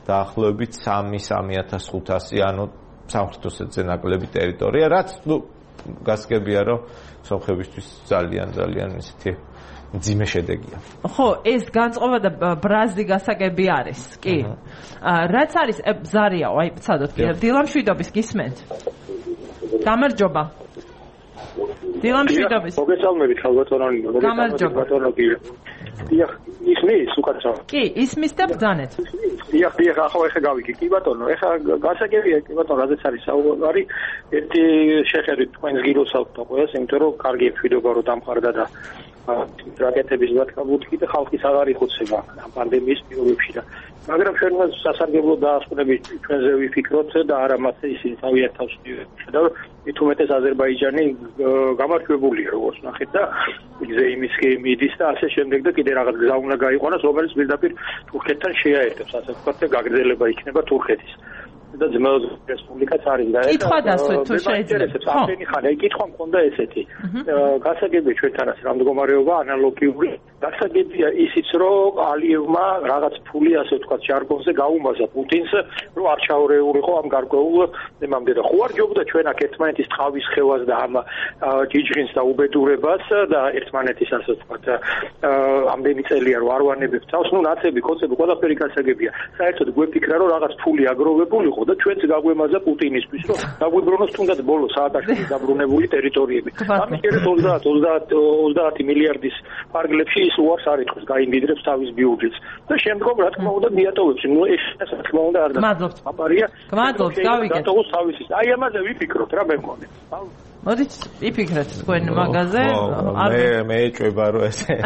დაახლოებით სამი სამი ათას ხუთასი, ანუ სამხრეთ ოსეთზე ნაკლები ტერიტორია, რაც ნუ გასაგებია, რომ სომხებისთვის ძალიან ძალიან ისეთი მძიმე შედეგია. ხო, ეს განწყობა და ბრაზი გასაგები არის, კი. რაც არის ზარიაო, აი ცადოთ, დილამშვიდობის გისმენთ. გამარჯობა. დილამშვიდობის. მოგესალმებით, ხალბატონი, მოგესალმებით. დიახ, ისმის უკაცრავ. კი, ისმის და ბრძანეთ. დიახ, დიახ, ახლა ეხა გავიგე. კი ბატონო, ეხა გასაგებია, კი ბატონო, რადგან არის საუბარი, ერთი შეხედვით თქვენს გილოსავთ და ყველას, იმიტომ რომ კარგი მშვიდობა რო დამყარდა და რაკეტების ბატკაბუთი და ხალხის აღარ იხოცება ამ პანდემიის პირობებში და მაგრამ ჩვენ მას სასარგებლო დაასკვნებით ჩვენზე ვიფიქროთ და არა მასე ისინი თავიანთ თავს და მით უმეტეს აზერბაიჯანი გამარჯვებულია როგორც ნახეთ და მიგზე იმის მიდის და ასე შემდეგ და კიდე რაღაც გზა უნდა გაიყვანოს რომელიც პირდაპირ თურქეთთან შეაერთებს ასე ვთქვათ და გაგრძელება იქნება თურქეთის და ძმაუზ რესპუბლიკაც არის და ეს კითხვა დასვეთ თუ შეიძლება ახლა ხარ აი კითხვა მქონდა ესეთი გასაგებია ჩვენთანაც რა მდგომარეობა ანალოგიური გასაგებია ისიც რომ ალიევმა რაღაც ფული ასე ვთქვათ ჟარგონზე გაუმაზა პუტინს რომ არ ჩაურეულიყო ამ გარკვეულ თემამდე და ხო არ ჯობდა ჩვენ აქ ერთმანეთის ტყავის ხევას და ამ ჯიჯღინს და უბედურებას და ერთმანეთის ასე ვთქვათ ამდენი წელია რომ არ ვანებებ თავს ნუ ნაცები კოცები ყველაფერი გასაგებია საერთოდ გვეფიქრა რომ რაღაც ფული აგროვებულიყო და ჩვენც გაგვემაზა პუტინისთვის რომ დაგვიბრუნოს თუნდაც ბოლო საათაშორის დაბრუნებული ტერიტორიები. ამის შერეთ ოცდაათ ოცდაათი მილიარდის ფარგლებში ის უარს არ იტყვის, გაინდიდრებს თავის ბიუჯეტს და შემდგომ რა თქმა უნდა მიატოვებს. ნუ ეს რა თქმა უნდა არ გმადლობთ. აპარია. გმადლობთ, გავიგეთ. დატოვოს თავისი. აი ამაზე ვიფიქროთ რა მე მგონი. მოდით ვიფიქრეთ თქვენ მაგაზე. მე მე ეჭვება რომ ესე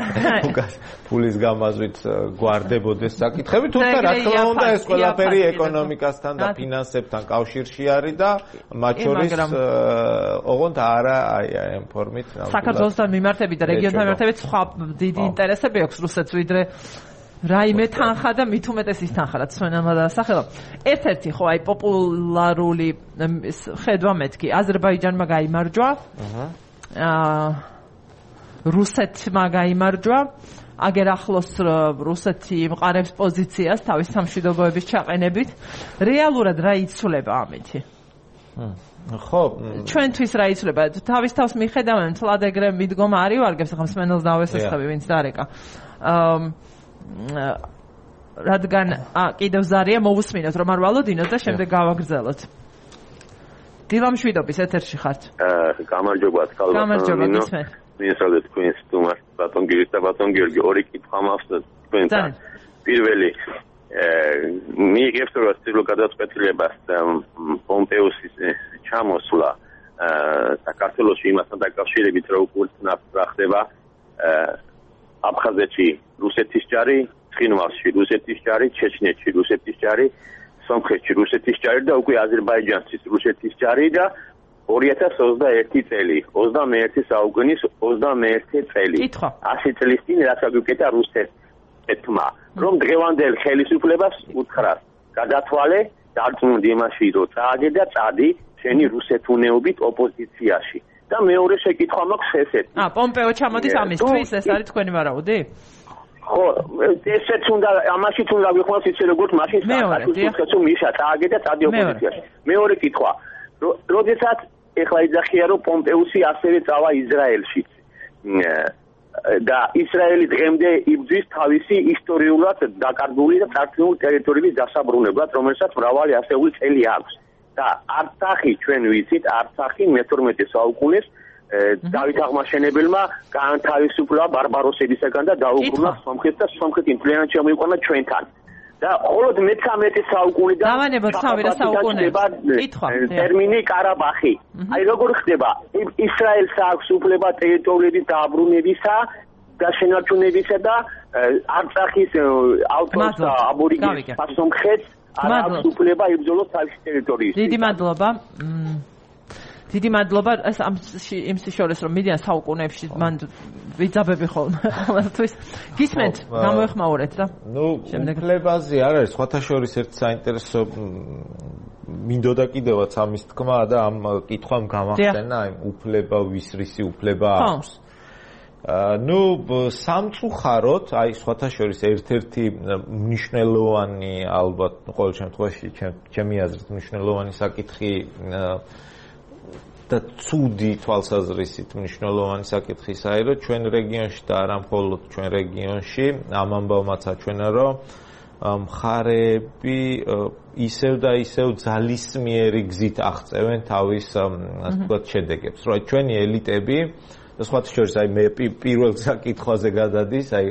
ფულის გამაზვით გვარდებოდეს საკითხები, თუმცა რა თქმა უნდა ეს ყველაფერი ეკონომიკასთან და ფინანსებთან კავშირში არის და მათ შორის ოღონდ არა აი ამ ფორმით საქართველოსთან მიმართებით და რეგიონთან მიმართებით სხვა დიდი ინტერესები აქვს რუსეთს ვიდრე რაიმე თანხა და მით უმეტეს ის თანხა რაც ჩვენმა დაასახელა. ერთ-ერთი ხო აი პოპულარული ხედვა მეთქი აზერბაიჯანმა გაიმარჯვა. აა რუსეთმა გაიმარჯვა. აგერ ახლოს რუსეთი მყარებს პოზიციას თავის სამშვიდობოების ჩაყენებით. რეალურად რა იცვლება ამითი? ხო, ჩვენთვის რა იცვლება? თავის თავს მიხედავენ თლად ეგრე მიდგომა არ ივარგებს, ახლა მსმენელს დავესესხები, ვინც დარეკა. აა რადგან კიდევ ზარია მოვუსმინოთ რომ არ ვალოდინოთ და შემდეგ გავაგრძელოთ. დილა მშვიდობის ეთერში ხართ. გამარჯობა თქალბატონო. გამარჯობა გისმენ. მინსავდეთ თქვენს სტუმარს ბატონ გიორგი და ბატონ გიორგი ორი კითხვა მაქვს თქვენთან. პირველი მიიღებს რომ ცდილო გადაწყვეტილებას პომპეუსის ჩამოსვლა საქართველოში იმასთან დაკავშირებით რომ უკურძნაფრა ხდება აფხაზეთში რუსეთის ჯარი, ცხინვალში რუსეთის ჯარი, ჩეჩნეთში რუსეთის ჯარი, სომხეთში რუსეთის ჯარი და უკვე აზერბაიჯანში რუსეთის ჯარი და ორი ათას ოცდაერთი წელი, ოცდამეერთი საუკუნის ოცდამეერთი წელი. ასი წლის წინ რაც აგიკეთა რუსეთმა, რომ დღევანდელ ხელისუფლებას უთხრას, გადათვალე, დარწმუნდი იმაში, რომ წააგე და წადი შენი რუსეთუნეობით ოპოზიციაში. და მეორე შეკითხვა მაქვს ესეთი. აა, პომპეო ჩამოდის ამისთვის, ეს არის თქვენი ვარაუდი? ხო, ესეც უნდა, ამაშიც უნდა ვიხმოს ისე როგორც მაშინ საქართველოს მიშა წააგე და წადი ოპოზიციაში. მეორე კითხვა, როდესაც ეხლა იძახია რომ პომპეუსი ასევე წავა ისრაელში. და ისრაელი დღემდე იბრძვის თავისი ისტორიულად დაკარგული და წარქმეული ტერიტორიების დასაბრუნებლად, რომელსაც მრავალი ასეული წელი აქვს. და არცახი ჩვენ ვიცით, არცახი მეთორმეტე საუკუნის დავით აღმაშენებელმა გაანთავისუფლა ბარბაროსებისაგან და დაუბრუნა სომხეთს და სომხეთი მთლიანად შემოიყვანა ჩვენთან. და მხოლოდ მეთერთმეტე საუკუნიდან დავანებოთ სამი საუკუნეში ტერმინი კარაბახი. აი როგორ ხდება? ისრაელს აქვს უფლება ტერიტორიების დაბრუნებისა და შენარჩუნებისა და არცახის ავტორს და აბორიგენს სომხეთს არ აქვს უფლება იბრძოლოს თავისი ტერიტორიის. დიდი მადლობა. დიდი მადლობა ეს ამ იმ შორის რომ მიდიან საუკუნეებში მან ვიძაბები ხოლმე ყოველთვის გისმენთ გამოეხმაურეთ და ნუ უფლებაზე არ არის სხვათა შორის ერთ საინტერესო მინდოდა კიდევაც ამის თქმა და ამ კითხვამ გამახსენა აი უფლება ვისრისი უფლება აქვს ნუ სამწუხაროდ აი სხვათა შორის ერთ-ერთი მნიშვნელოვანი ალბათ ყოველ შემთხვევაში ჩემი აზრით მნიშვნელოვანი საკითხი და ცუდი თვალსაზრისით მნიშვნელოვანი საკითხი ისაა, რომ ჩვენ რეგიონში და არა მხოლოდ ჩვენ რეგიონში ამ ამბავმაც აჩვენა, რომ მხარეები ისევ და ისევ ძალისმიერი გზით აღწევენ თავის ასე ვთქვათ შედეგებს. რომ ჩვენი ელიტები და სხვათა შორის აი მე პირველ საკითხვაზე გადადის, აი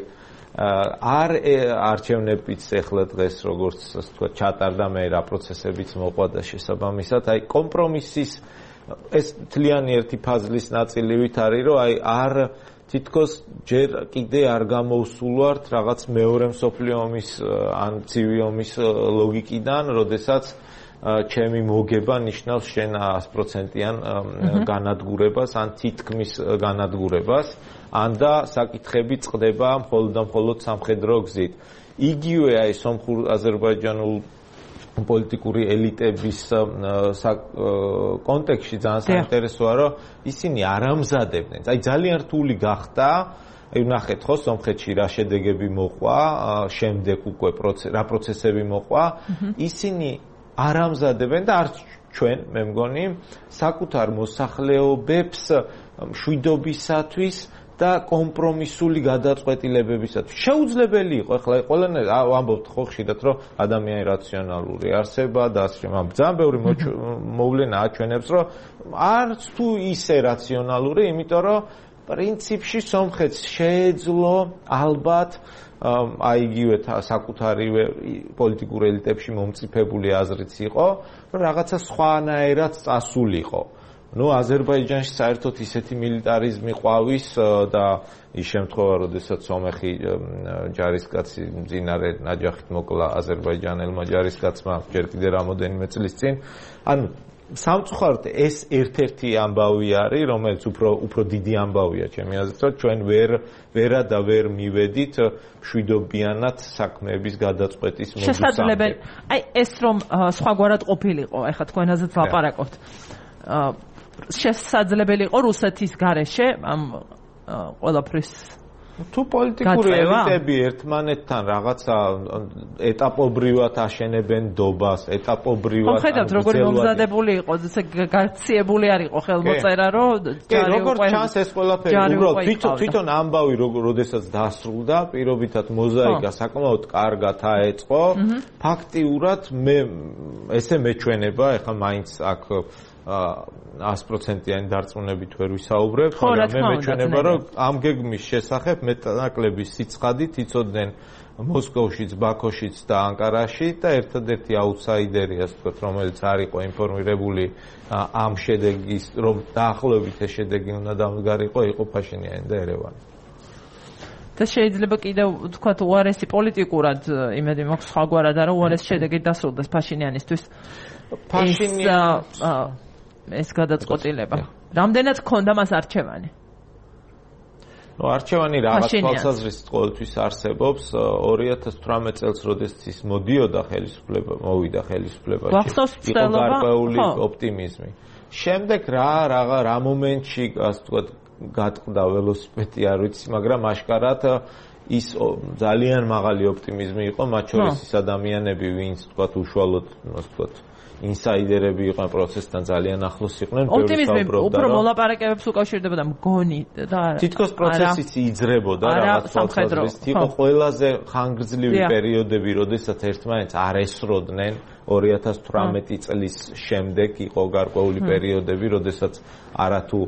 არ არჩევნებიც ეხლა დღეს როგორც ასე ვთქვათ ჩატარდა მე რა პროცესებიც მოყვა და შესაბამისად აი კომპრომისის ეს თლიანი ერთი ფაზლის ნაწილივით არის, რომ აი არ თითქოს ჯერ კიდე არ გამოვსულვართ რაღაც მეორე მსოფლიო ომის ან ცივი ომის ლოგიკიდან, როდესაც ჩემი მოგება ნიშნავს შენ ას პროცენტიან განადგურებას ან თითქმის განადგურებას, ან და საკითხები წყდება მხოლოდ და მხოლოდ სამხედრო გზით. იგივე აი სომხურ აზერბაიჯანულ პოლიტიკური ელიტების კონტექსტში ძალიან საინტერესოა, რომ ისინი არ ამზადებდნენ. აი ძალიან რთული გახდა, აი ნახეთ ხო სომხეთში რა შედეგები მოყვა, შემდეგ უკვე რა პროცესები მოყვა, ისინი არ ამზადებენ და არც ჩვენ, მე მგონი, საკუთარ მოსახლეობებს მშვიდობისათვის და კომპრომისული გადაწყვეტილებებისათვის შეუძლებელი იყო ახლა ყველანაირ ამბობთ ხო ხშირად რომ ადამიანი რაციონალური არსება და ასე შემამ ძალიან ბევრი მოვლენა აჩვენებს რომ არც თუ ისე რაციონალური, იმიტომ რომ პრინციპში სომხეთს შეეძლო ალბათ აი იგივე საკუთარივე პოლიტიკურ ელიტებში მომწიფებული აზრიც იყო, რომ რაღაცა სხვანაირად წასულიყო. ნუ აზერბაიჯანში საერთოდ ისეთი მილიტარიზმი ყვავის და ის შემთხვევა, როდესაც სომეხი ჯარისკაცი მძინარე ნაჯახით მოკლა აზერბაიჯანელმა ჯარისკაცმა ჯერ კიდე რამოდენიმე წლის წინ. ანუ სამწუხაროდ ეს ერთ-ერთი ამბავი არის, რომელიც უფრო უფრო დიდი ამბავია ჩემი აზრით, რომ ჩვენ ვერ ვერა და ვერ მივედით მშვიდობიანად საქმეების გადაწყვეტის მოდუსამდე. შესაძლებელი. აი ეს რომ სხვაგვარად ყოფილიყო, ეხლა თქვენაზეც ვლაპარაკობთ. შესაძლებელი იყო რუსეთის გარეშე ამ ყველაფრის თუ პოლიტიკური ელიტები ერთმანეთთან რაღაცა ეტაპობრივად აშენებენ დობას, ეტაპობრივად ხედავთ როგორ მომზადებული იყო, ესე გაქციებული არ იყო ხელმოწერა, რომ ჯარი უკვე როგორ ჩანს ეს ყველაფერი უბრალოდ თვითონ თვითონ ამბავი როდესაც დასრულდა, პირობითად მოზაიკა საკმაოდ კარგად აეწყო, ფაქტიურად მე ესე მეჩვენება, ეხლა მაინც აქ ას პროცენტიანი დარწმუნებით ვერ ვისაუბრებ, მაგრამ მე მეჩვენება, რომ ამ გეგმის შესახებ მეტნაკლები სიცხადით იცოდნენ მოსკოვშიც, ბაქოშიც და ანკარაში და ერთადერთი აუთსაიდერი, ასე ვთქვათ, რომელიც არ იყო ინფორმირებული ამ შედეგის, რომ დაახლოებით ეს შედეგი უნდა დამდგარიყო, იყო ფაშინიანი და ერევანი. და შეიძლება კიდევ ვთქვათ უარესი პოლიტიკურად, იმედი მაქვს სხვაგვარად არა უარესი შედეგი დასრულდეს ფაშინიანისთვის. ფაშინიანის ეს გადაწყვეტილება. რამდენად გქონდა მას არჩევანი? ნუ არჩევანი რაღაც თვალსაზრისით ყოველთვის არსებობს. ორი ათას თვრამეტ წელს, როდესაც ის მოდიოდა ხელისუფლება, მოვიდა ხელისუფლებაში, იყო გარკვეული ოპტიმიზმი. შემდეგ რა რაღა რა მომენტში, ასე ვთქვათ, გატყდა ველოსიპედი, არ ვიცი, მაგრამ აშკარად ის ძალიან მაღალი ოპტიმიზმი იყო, მათ შორის ის ადამიანები, ვინც ვთქვათ, უშუალოდ, ასე ვთქვათ, ინსაიდერები იყვნენ პროცესთან ძალიან ახლოს იყვნენ, ბევრი საუბრობდა. უფრო მოლაპარაკებებს უკავშირდებოდა მგონი და თითქოს პროცესიც იძრებოდა რაღაც თვალსაზრისით. იყო ყველაზე ხანგრძლივი პერიოდები, როდესაც ერთმანეთს არ ესროდნენ. ორი ათას თვრამეტი წლის შემდეგ იყო გარკვეული პერიოდები, როდესაც არათუ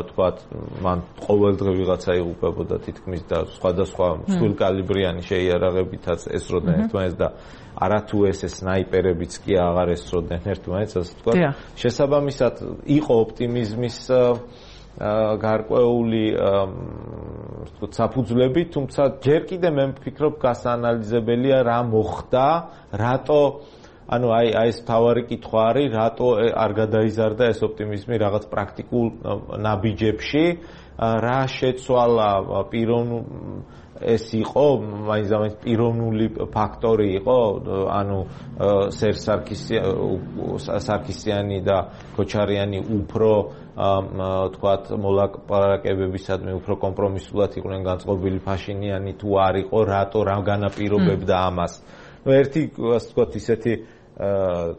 თქვათ, მან ყოველდღე ვიღაცა იღუპებოდა თითქმის და სხვადასხვა მსხვილკალიბრიანი შეიარაღებითაც ესროდნენ ერთმანეთს და არათუ ესე სნაიპერებიც კი აღარ ესროდნენ ერთმანეთს, ასე ვთქვათ. შესაბამისად, იყო ოპტიმიზმის გარკვეული ვთქვათ საფუძვლები, თუმცა ჯერ კიდე მე ვფიქრობ გასაანალიზებელია რა მოხდა, რატო ანუ აი აი ეს თავარი კითხვა არის, რატო არ გადაიზარდა ეს ოპტიმიზმი რაღაც პრაქტიკულ ნაბიჯებში, რა შეცვალა პიროვნულ ეს იყო, მაინც ამის პიროვნული ფაქტორი იყო, ანუ სერ სარქისიანი და ქოჩარიანი უფრო თქვათ მოლაპარაკებებისადმი უფრო კომპრომისულად იყვნენ განწყობილი, ფაშინიანი თუ არ იყო, რატო რა განაპირობებდა ამას. ნუ ერთი ასე ვთქვათ ისეთი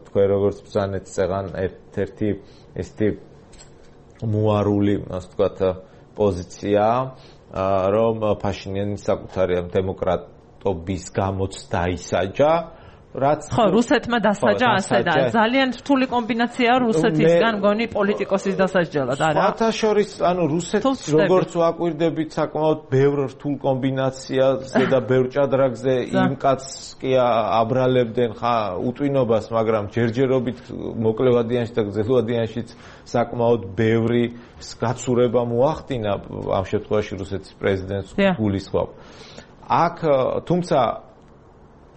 თქვენ როგორც ბრძანეთ წეღან ერთ-ერთი ესეთი მოარული ასე ვთქვათ პოზიცია, რომ ფაშინიანი საკუთარი დემოკრატობის გამოც დაისაჯა, რაც ხო რუსეთმა დასაჯა ასე და ძალიან რთული კომბინაციაა რუსეთისგან მგონი პოლიტიკოსის დასაჯელად არა სხვათა შორის ანუ რუსეთს როგორც ვაკვირდებით საკმაოდ ბევრ რთულ კომბინაციაზე და ბევრ ჭადრაგზე იმ კაცს კი აბრალებდნენ ხა უტვინობას, მაგრამ ჯერჯერობით მოკლევადიანში და გრძელვადიანშიც საკმაოდ ბევრი გაცურება მოახდინა ამ შემთხვევაში რუსეთის პრეზიდენტს გულისხმობ. აქ თუმცა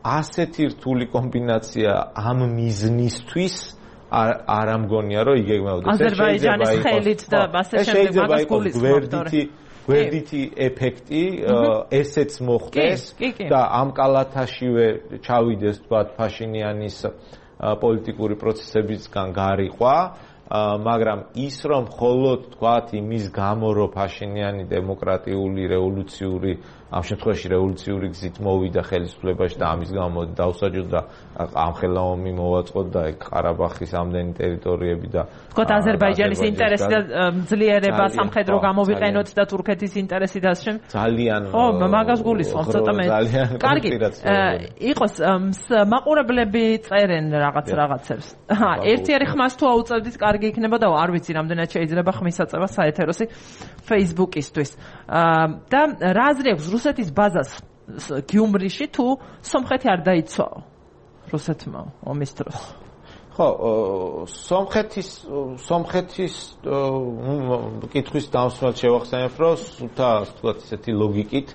ასეთი რთული კომბინაცია ამ მიზნისთვის არ ამგონია რომ იგეგმებოდეს. აზერბაიჯანის ხელით და ასე შემდეგ მაგას გულისხმობთ. გვერდითი ეფექტი ესეც მოხდეს და ამ კალათაშივე ჩავიდეს თქვათ ფაშინიანის პოლიტიკური პროცესებისგან გარიყვა, მაგრამ ის რომ მხოლოდ თქვათ იმის გამო რომ ფაშინიანი დემოკრატიული რევოლუციური ამ შემთხვევაში რევოლუციური გზით მოვიდა ხელისუფლებაში და ამის გამო დაუსაჯოთ და ამხელა ომი მოვაწყოთ და ყარაბახის ამდენი ტერიტორიები და თქვათ აზერბაიჯანის ინტერესი და ძლიერება სამხედრო გამოვიყენოთ და თურქეთის ინტერესი და ასე ძალიან ხო მაგას გულისხმობ ცოტა მე კარგი იყოს მაყურებლები წერენ რაღაც რაღაცებს ერთიარი ხმას თუ აუწევდით კარგი იქნება და არ ვიცი რამდენად შეიძლება ხმის აწევა საეთეროსი Facebook-ისთვის და რა აზრი აქვს რუსეთის ბაზას გიუმრიში თუ სომხეთი არ დაიცვაო რუსეთმა ომის დროს ხო სომხეთის სომხეთის კითხვის დამსვლელად შევახსენებ რომ სულთა თქვათ ისეთი ლოგიკით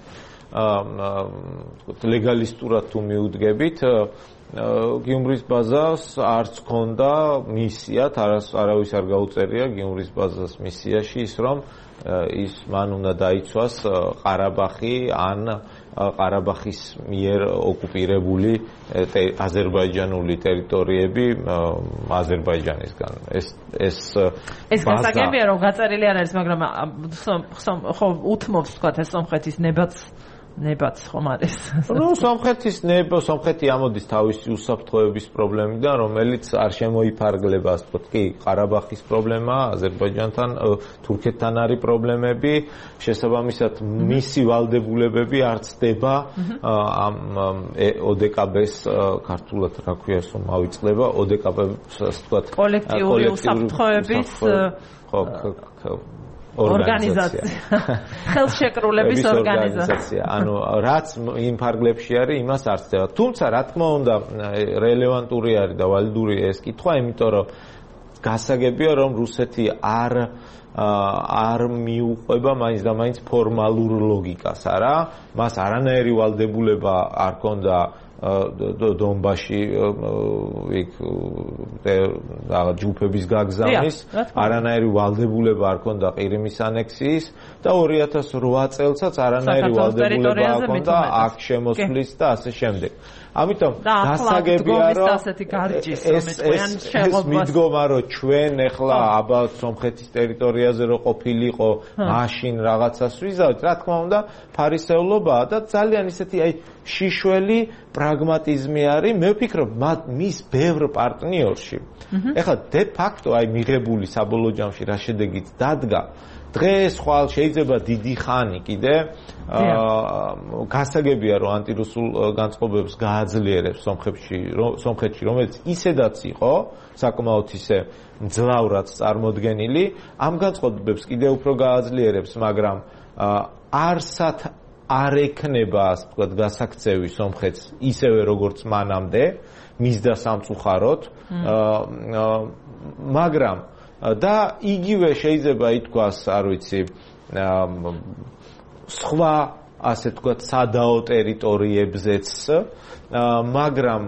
თქვათ ლეგალისტურად თუ მიუდგებით გიუმრის ბაზას არც ქონდა მისიათ არავის არ გაუწერია გიუმრის ბაზას მისიაში ის რომ ის მან უნდა დაიცვას ყარაბახი ან ყარაბახის მიერ ოკუპირებული აზერბაიჯანული ტერიტორიები აზერბაიჯანისგან. ეს ეს ეს გასაგებია რომ გაწერილი არ არის, მაგრამ ხო უთმობს თქვა ეს სომხეთის ნებაც ნებაც ხომ არის. ნუ სომხეთის ნება, სომხეთი ამოდის თავისი უსაფრთხოების პრობლემიდან, რომელიც არ შემოიფარგლება, ასე ვთქვათ, კი, ყარაბახის პრობლემა, აზერბაიჯანთან, თურქეთთან არის პრობლემები, შესაბამისად მისი ვალდებულებები არ ცდება ამ ოდეკაბეს ქართულად რა ქვია ეს რომ ავიწყდება, ოდეკაბეს, ასე ვთქვათ, კოლექტიური უსაფრთხოების ხო ორგანიზაცია. ხელშეკრულების ორგანიზაცია. ანუ რაც იმ ფარგლებში არის, იმას არ ცდება. თუმცა, რა თქმა უნდა, რელევანტური არის და ვალიდური ეს კითხვა, იმიტომ რომ გასაგებია, რომ რუსეთი არ არ მიუყვება მაინც და მაინც ფორმალურ ლოგიკას, არა? მას არანაირი ვალდებულება არ ქონდა დონბასში იქ ჯგუფების გაგზავნის, არანაირი ვალდებულება არ ქონდა ყირიმის ანექსიის და ორი ათას რვა წელსაც არანაირი ვალდებულება არ ქონდა აქ შემოსვლის და ასე შემდეგ. ამიტომ გასაგებია რომ ეს მიდგომა რომ ჩვენ ახლა აბათ სომხეთის ტერიტორიაზე რო ყოფილიყო, მაშინ რაღაცას ვიზავთ, რა თქმა უნდა, ფარისეულობაა და ძალიან ისეთი აი შიშველი პრაგმატიზმი არის. მე ვფიქრობ, მის ბევრ პარტნიორში. ეხლა დე ფაქტო აი მიღებული საბოლოო ჯამში რა შედეგიც დადგა. დღეს ხვალ შეიძლება დიდი ხანი კიდე გასაგებია რომ ანტირუსულ განწყობებს გააძლიერებს სომხეთში, სომხეთში, რომელიც ისედაც იყო საკმაოდ ისე მძლავრად წარმოდგენილი, ამ განწყობებს კიდე უფრო გააძლიერებს, მაგრამ არსად არ ექნება, ასე ვთქვათ, გასაქცევი სომხეთს ისევე როგორც მანამდე, მისდა სამწუხაროდ, მაგრამ და იგივე შეიძლება ითქვას, არ ვიცი, სხვა, ასე ვთქვათ, სადაო ტერიტორიებზეც, მაგრამ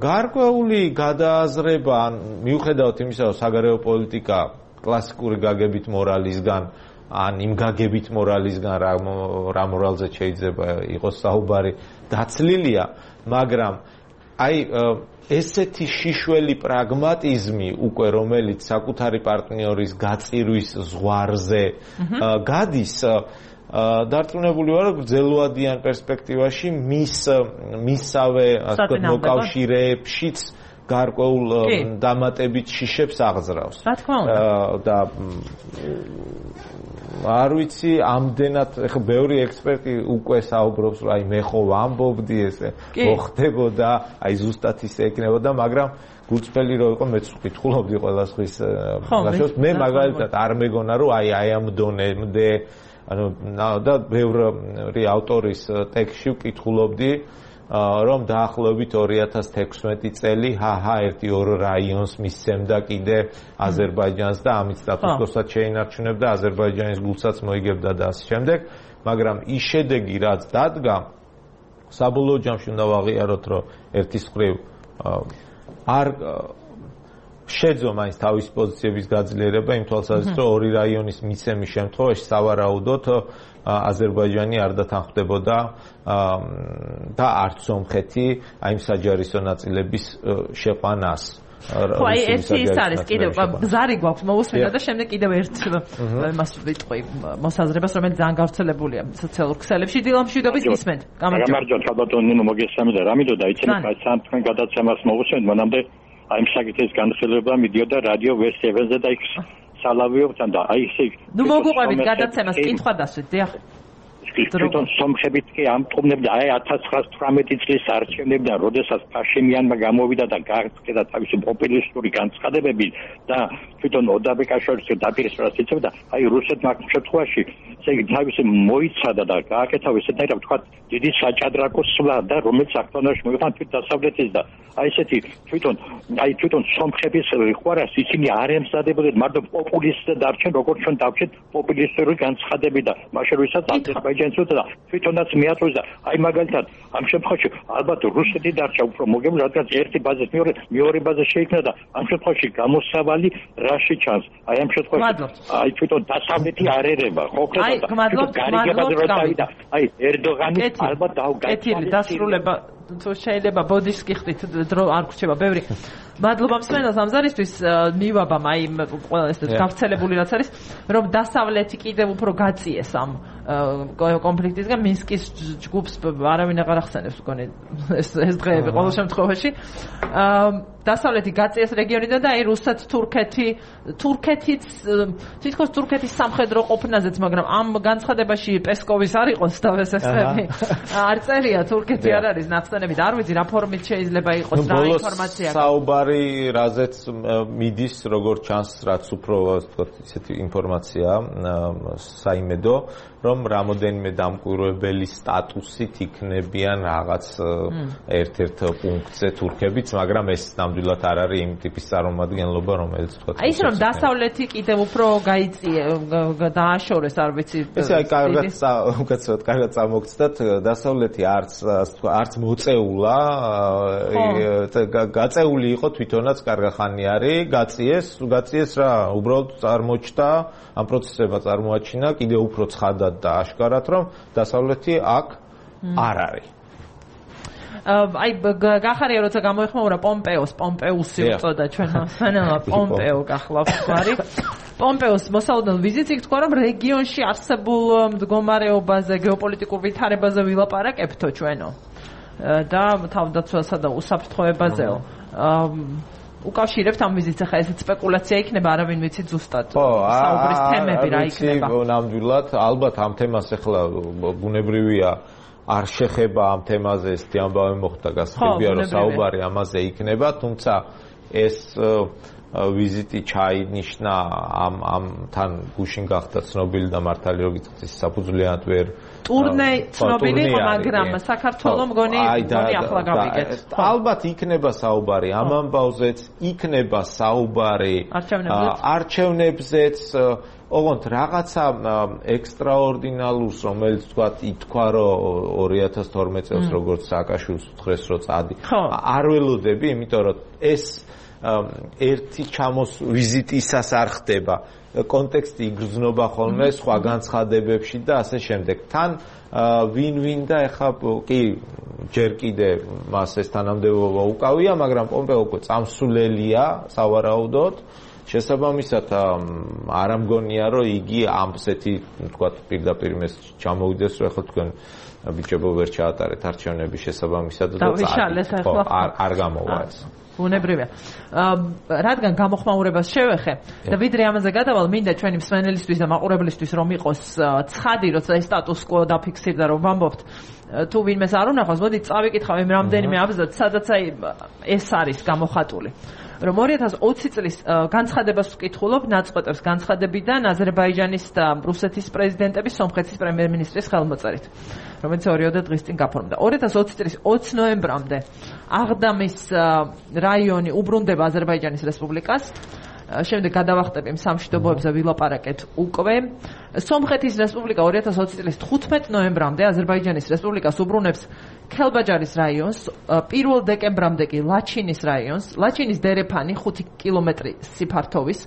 გარკვეული გადააზრება, მიუხედავად იმისა, რომ საგარეო პოლიტიკა კლასიკური გაგებით მორალისგან, ან იმ გაგებით მორალისგან, რა მორალზე შეიძლება იყოს საუბარი, დაცლილია, მაგრამ აი ესეთი შიშველი პრაგმატიზმი უკვე რომელიც საკუთარი პარტნიორის გაწირვის ზღვარზე გადის, დარწმუნებული ვარ, რომ გრძელვადიან პერსპექტივაში მის მისავე ასე ვთქვათ მოკავშირეებშიც გარკვეულ დამატებით შიშებს აღზრავს. რა თქმა უნდა. და არ ვიცი, ამდენად ეხლა ბევრი ექსპერტი უკვე საუბრობს, რომ აი მე ხო ვამბობდი ესე, მოხდებოდა, აი ზუსტად ისე ეკნებოდა, მაგრამ გულწრფელი რო იყო, მეც ვკითხულობდი ყველა სხვის გაშოს, მე მაგალითად არ მეგონა, რომ აი აი ამ დონემდე, ანუ და ბევრი ავტორის ტექსტში ვკითხულობდი, რომ დაახლოებით ორი ათას თექვსმეტი წელი ჰაჰა ერთი ორ რაიონს მისცემდა კიდე აზერბაიჯანს და ამით სტატუს-კვოსაც შეინარჩუნებდა, აზერბაიჯანის გულსაც მოიგებდა და ასე შემდეგ, მაგრამ ის შედეგი რაც დადგა, საბოლოო ჯამში უნდა ვაღიაროთ, რომ ერთის მხრივ არ შეძლო მაინც თავისი პოზიციების გაძლიერება იმ თვალსაზრისით, რომ ორი რაიონის მიცემის შემთხვევაში სავარაუდოდ აზერბაიჯანი არ დათანხმდებოდა და არც სომხეთი აი იმ საჯარისო ნაწილების შეყვანას. ხო, აი ერთი ის არის კიდევ გზარი გვაქვს მოусმინა და შემდეგ კიდევ ერთ იმას ვიტყვი მოსაზრებას, რომელიც ძალიან გავრცელებულია სოციალურ ქსელებში. დილამშვიდობის გისმენთ. გამარჯობა, ხალბატონი, ნუ მოგესალმებით და რამიდოდა იცით, აი სამთქან გადაცემას მოვუსმენთ, მანამდე აი საკითხის განხილვა მიდიოდა რადიო ვესტევენზე და იქ სალავიობთან და აი ესე ნუ მოგუყვებით გადაცემას, კითხვა დასვით, დიახ. თვითონ სომხებით კი ამტყობნებდა აი ათას ცხრაას თვრამეტი წლის არჩევნებიდან, როდესაც ფაშინიანმა გამოვიდა და გააცხადა თავისი პოპულისტური განცხადებები და თვითონ ოდაბეკაშვილის დაპირისპირებას იწევდა, აი რუსეთმა ამ შემთხვევაში ესე იგი თავისი მოიცადა და გააკეთა ესეთაირად ვთქვათ დიდი საჭადრაკო სვლა და რომელიც აქტონაში მოიხან თვით დასავლეთის და აი ესეთი თვითონ აი თვითონ სომხების ხوارას ისინი არ ემზადებოდნენ მარტო პოპულისტად დარჩენ, როგორც ჩვენ დავჩეთ პოპულისტური განცხადები და მაშინ როდესაც აზერბაიჯანი ინტელიგენციას და თვითონაც მიაწვეს და აი მაგალითად ამ შემთხვევაში ალბათ რუსეთი დარჩა უფრო მოგებული, რადგან ერთი ბაზის მეორე მეორე ბაზა შეიქმნა და ამ შემთხვევაში გამოსავალი რაში ჩანს. აი ამ შემთხვევაში აი თვითონ დასავლეთი არ ერება, ხო ხდება და გარიგებად რო წავიდა. აი ერდოღანი ალბათ დაუგაჩვენე. დასრულება თუ შეიძლება ბოდიშს გიხდით დრო არ გრჩება ბევრი. მადლობა მსმენელს ამზარისთვის მივაბამ აი ყველა ეს გავრცელებული რაც არის რომ დასავლეთი კიდევ უფრო გაწიეს ამ კონფლიქტისგან მინსკის ჯგუფს არავინ აღარ ახსენებს მგონი ეს ეს დღეები ყოველ შემთხვევაში დასავლეთი გაწიეს რეგიონიდან და აი რუსეთ თურქეთი თურქეთიც თითქოს თურქეთის სამხედრო ყოფნაზეც მაგრამ ამ განცხადებაში პესკოვის არ იყოს დავესახები არ წერია თურქეთი არ არის ნახსენებით არ ვიცი რა ფორმით შეიძლება იყოს რა ინფორმაცია საუბარი რაზეც მიდის როგორ ჩანს რაც უფრო ვთქვათ ისეთი ინფორმაცია საიმედო რომ რამოდენიმე დამკვირვებელი სტატუსით იქნებიან რაღაც ერთ-ერთ პუნქტზე თურქებიც, მაგრამ ეს ნამდვილად არ არის იმ ტიპის წარმომადგენლობა, რომელიც თქვა. აი ის რომ დასავლეთი კიდევ უფრო გაიწია, დააშორეს, არ ვიცი. ესე აი კარგად უკაცრავად კარგად წამოგცდათ, დასავლეთი არც არც მოწეულა, გაწეული იყო თვითონაც კარგახანი არის, გაწიეს, გაწიეს რა, უბრალოდ წარმოჩნდა ამ პროცესებმა წარმოაჩინა კიდევ უფრო ცხადად და აშკარად რომ დასავლეთი აქ არ არის. აი გახარია როცა გამოიხმაურა პომპეოს, პომპეუსი უწოდა ჩვენმა სანელა პომპეო გახლავს გვარი. პომპეოს მოსალოდნელ ვიზიტს იქ თქვა რომ რეგიონში არსებულ მდგომარეობაზე, გეოპოლიტიკურ ვითარებაზე ვილაპარაკებთო ჩვენო. და თავდაცვასა და უსაფრთხოებაზეო. უკავშირებთ ამ ვიზიტს ახლა ესეც სპეკულაცია იქნება არავინ ვიცი ზუსტად საუბრის თემები რა იქნება ხო ნამდვილად ალბათ ამ თემას ახლა ბუნებრივია არ შეხება ამ თემაზე ეს ამბავი მოხდა გასაგებია რომ საუბარი ამაზე იქნება თუმცა ეს ვიზიტი ჩაინიშნა ამ ამ თან გუშინ გახდა ცნობილი და მართალი რომ გითხრით საფუძვლიანად ვერ ტურნე ცნობილი მაგრამ საქართველოს მგონი მგონი ახლა გავიგეთ ალბათ იქნება საუბარი ამ ამბავზეც იქნება საუბარი არჩევნებზეც ოღონდ რაღაცა ექსტრაორდინალურს რომელიც თქვა ითქვა რომ ორი ათას თორმეტ წელს როგორც სააკაშვილს უთხრეს რომ წადი არ ველოდები იმიტომ რომ ეს ერთი ჩამოს ვიზიტისას არ ხდება კონტექსტი იგრძნობა ხოლმე სხვა განცხადებებში და ასე შემდეგ თან ვინ-ვინ და ეხა კი ჯერ კიდე მას ეს თანამდებობა უკავია მაგრამ პომპეო უკვე წამსულელია სავარაუდოდ შესაბამისად არ ამგონია რომ იგი ამსეთი თქვა პირდაპირ მეს ჩამოვიდეს რომ ეხლა თქვენ ბიჭებო ვერ ჩაატარეთ არჩევნები შესაბამისად და არ არ გამოვა ეს უნებრივია. რადგან გამოხმაურებას შევეხე და ვიდრე ამაზე გადავალ, მინდა ჩვენი მსმენელისთვის და მაყურებლისთვის რომ იყოს ცხადი, როცა ეს სტატუს quo დაფიქსირდა რომ ვამბობთ, თუ ვინმეს არ უნახავს, მოდით წავიკითხავ იმ რამდენიმე აბზაც, სადაც აი ეს არის გამოხატული. რომ ორი ათას ოცი წლის განცხადებას ვკითხულობ ნაწყვეტებს განცხადებიდან აზერბაიჯანის და რუსეთის პრეზიდენტების სომხეთის პრემიერ-მინისტრის ხელმოწერით რომელიც ორიოდე დღის წინ გაფორმდა ორი ათას ოცი წლის ოცი ნოემბრამდე აღდამის რაიონი უბრუნდება აზერბაიჯანის რესპუბლიკას შემდეგ გადავახტებ იმ სამშვიდობოებზე ვილაპარაკეთ უკვე სომხეთის რესპუბლიკა ორი ათას ოცი წლის თხუთმეტ ნოემბრამდე აზერბაიჯანის რესპუბლიკას უბრუნებს ქელბაჯარის რაიონს პირველ დეკემბრამდე კი ლაჩინის რაიონს ლაჩინის დერეფანი ხუთი კილომეტრი სიფართოვის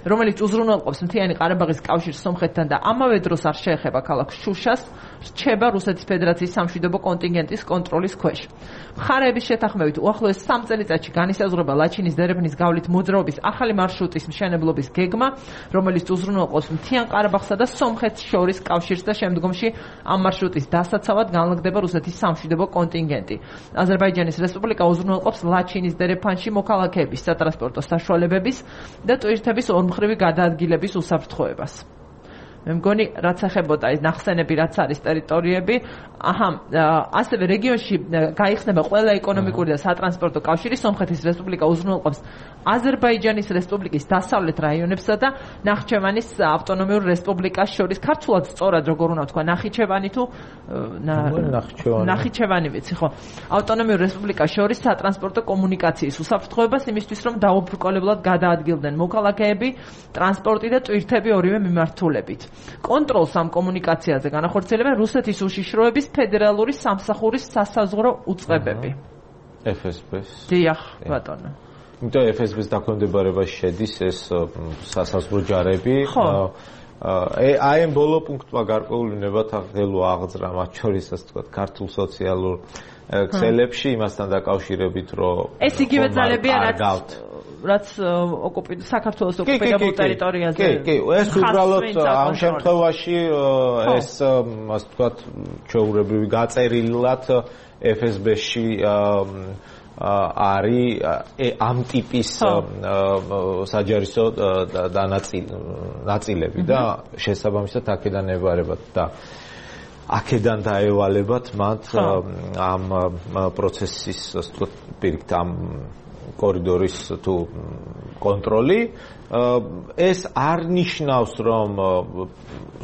რომელიც უზრუნველყოფს მთიანი ყარაბაღის კავშირს სომხეთთან და ამავე დროს არ შეეხება ქალაქ შუშას რჩება რუსეთის ფედერაციის სამშვიდობო კონტინგენტის კონტროლის ქვეშ მხარეების შეთანხმებით უახლოეს სამ წელიწადში განისაზღვრება ლაჩინის დერეფნის გავლით მოძრაობის ახალი მარშრუტის მშენებლობის გეგმა რომელიც უზრუნველყოფს მთიან ყარაბაღსა და სომხეთს შორის კავშირს და შემდგომში ამ მარშრუტის დასაცავად განლაგდება რუსეთის სამშვიდობო კონტინგენტი აზერბაიჯანის რესპუბლიკა უზრუნველყოფს ლაჩინის დერეფანში მოქალაქეების სატრანსპორტო საშუალებების და ტვირთების ორმხრივი გადაადგილების უსაფრთხოებას. მე მგონი რაც ეხებოდა ეს ნახსენები რაც არის ტერიტორიები, აჰა, ასევე რეგიონში გაიხსნება ყველა ეკონომიკური და სატრანსპორტო კავშირი სომხეთის რესპუბლიკა უზრუნველყოფს აზერბაიჯანის რესპუბლიკის დასავლეთ რაიონებსა და ნახჩევანის ავტონომიურ რესპუბლიკას შორის ქართულად სწორად როგორ უნდა თქვა ნახიჩევანი თუ ნახიჩევანი ვიცი ხო ავტონომიურ რესპუბლიკას შორის სატრანსპორტო კომუნიკაციის უსაფრთხოებას იმისთვის რომ დაუბრკოლებლად გადაადგილდნენ მოქალაქეები ტრანსპორტი და ტვირთები ორივე მიმართულებით კონტროლს ამ კომუნიკაციაზე განახორციელებენ რუსეთის უშიშროების ფედერალური სამსახურის სასაზღვრო უწყებები. ეფ ეს ბე-ს. დიახ, ბატონო. იმიტომ ეფ ეს ბე-ს დაქვემდებარებაში შედის ეს სასაზღვრო ჯარები. ხო. აი ამ ბოლო პუნქტმა გარკვეული ნებათა ღელვა აღძრა მათ შორის ასე ვთქვათ ქართულ სოციალურ ქსელებში იმასთან დაკავშირებით რომ ეს იგივე ძალებია რაც რაც ოკუპირებულ საქართველოს ოკუპირებულ ტერიტორიაზე. კი, კი, ეს უბრალოდ ამ შემთხვევაში ეს ასე ვთქვათ ჩვეულებრივი გაწერილად ეფ ეს ბე-ში არის ამ ტიპის საჯარისო ნაწილები და შესაბამისად აქედან ებარებათ და აქედან დაევალებათ მათ ამ პროცესის ასე ვთქვათ პირიქით ამ კორიდორის თუ კონტროლი ეს არ ნიშნავს რომ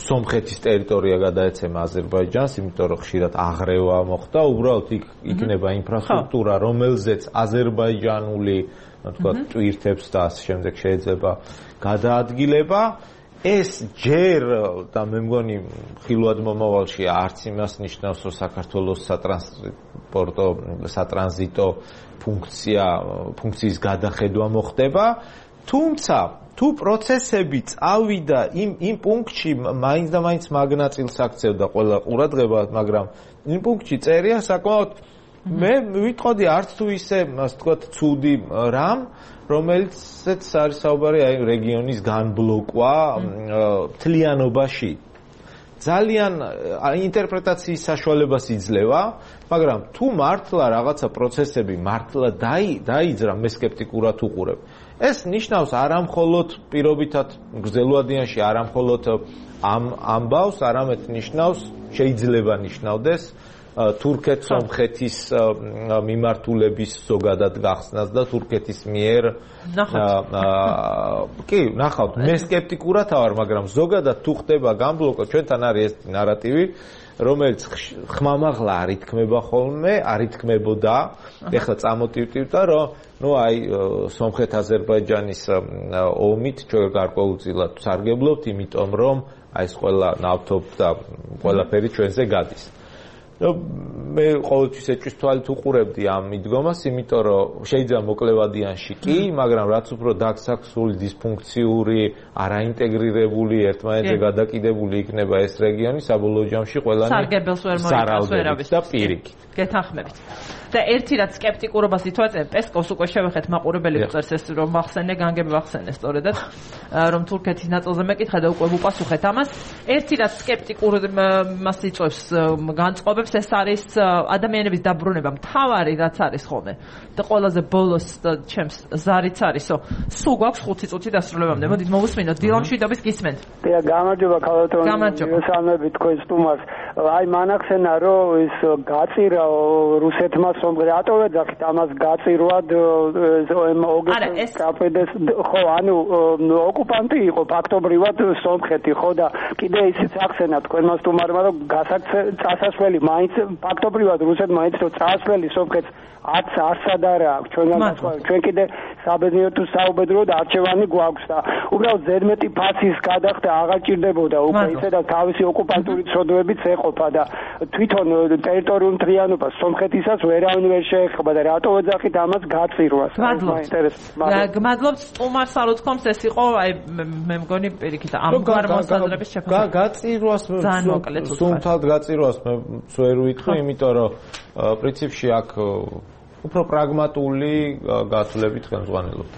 სომხეთის ტერიტორია გადაეცემა აზერბაიჯანს, იმიტომ რომ ხშირად აღრევა მოხდა, უბრალოდ იქ იქნება ინფრასტრუქტურა, რომელზეც აზერბაიჯანული, თქვა, ტვირთებს და ასე შემდეგ შეიძლება გადაადგილება. ეს ჯერ და მე მგონი ხილვად მომავალში არც იმას ნიშნავს, რომ საქართველოს სატრანსპორტო, სატრანზიტო ფუნქცია, ფუნქციის გადახედვა მოხდება, თუმცა თუ პროცესები წავიდა იმ იმ პუნქტში მაინც და მაინც მაგნაწილს აქცევდა ყველა ყურადღება, მაგრამ იმ პუნქტში წერია საკმაოდ მე ვიტყოდი არც თუ ისე ასე ვთქვათ ცუდი რამ, რომელიცაც არის საუბარი აი რეგიონის განბლოკვა მთლიანობაში. ძალიან ინტერპრეტაციის საშუალებას იძლევა, მაგრამ თუ მართლა რაღაცა პროცესები მართლა დაიძრა, მე სკეპტიკურად უყურებ. ეს ნიშნავს არამხოლოდ პირობითად გრძელვადიანში არამხოლოდ ამ ამბავს, არამედ ნიშნავს შეიძლება ნიშნავდეს თურქეთ-სომხეთის მიმართულების ზოგადად გახსნას და თურქეთის მიერ კი, ნახავთ, მე სკეპტიკურად ვარ, მაგრამ ზოგადად თუ ხდება განბლოკო, ჩვენთან არის ეს ნარატივი, რომელიც ხმამაღლა არ ითქმება ხოლმე, არ ითქმებოდა, ეხლა წამოტივტივდა, რომ ну აი სომხეთ-აზერბაიჯანის ომით ჩვენ გარკვეულწილად სარგებლობთ, იმიტომ რომ აი ეს ყველა ნავთობ და ყველაფერი ჩვენზე გადის. მე ყოველთვის ეჭვის თვალით უყურებდი ამ მიდგომას, იმიტომ რომ შეიძლება მოკლევადიანში კი, მაგრამ რაც უფრო დაგსაქსული, დისფუნქციური, არაინტეგრირებული, ერთმანეთზე გადაკიდებული იქნება ეს რეგიონი, საბოლოო ჯამში ყველანი სარგებელს ვერ მოიწევს ვერავის და პირიქით. გეთანხმებით. და ერთი რაც სკეპტიკურობას ითვალე, პესკოვს უკვე შევეხეთ მაყურებელი წერს ეს რომ ახსენე, განგები ახსენე სწორედად, რომ თურქეთის ნაწილზე მეკითხა და უკვე უპასუხეთ ამას. ერთი რაც სკეპტიკურობას იწვევს განწყობებს, ეს არის ადამიანების დაბრუნება. მთავარი რაც არის ხოლმე და ყველაზე ბოლოს ჩემს ზარიც არისო, სულ გვაქვს ხუთი წუთი დასრულებამდე. მოდით მოვუსმინოთ დილამ შვიდობის გისმენთ. დიახ, გამარჯობა ქალბატონო. მესამეებით თქვენ სტუმარს. აი მანახსენა რომ ის გაწირა რუსეთმა რატო ეძახით ამას გაწირვად ოგეს კაპედეს ხო ანუ ოკუპანტი იყო ფაქტობრივად სომხეთი ხო და კიდე ისიც ახსენა თქვენმა სტუმარმა რომ წასასვლელი მაინც ფაქტობრივად რუსეთმა მაინც რომ წასვლელი სომხეთს არც არსად არა აქვს ჩვენგან ჩვენ კიდე საბედნიეროდ თუ საუბედროდ არჩევანი გვაქვს და უბრალოდ ზედმეტი ფასის გადახდა აღარ ჭირდებოდა უკვე ისე და თავისი ოკუპანტური ცოდვებიც ეყოფა და თვითონ ტერიტორიულ მთლიანობას სომხეთისაც ვერავინ ვერ შეეხება და რატო ეძახით ამას გაწირვას მაინტერესებს გმადლობთ სტუმარს ალოთქომს ეს იყო აი მე მგონი პირიქით ამგვარ მოსაზრების შეფასება გაწირვას სუმთავად გაწირვას მე ვერ ვიტყვი იმიტომ რომ პრინციპში აქ უფრო პრაგმატული გასვლებით ხელმძღვანელობთ.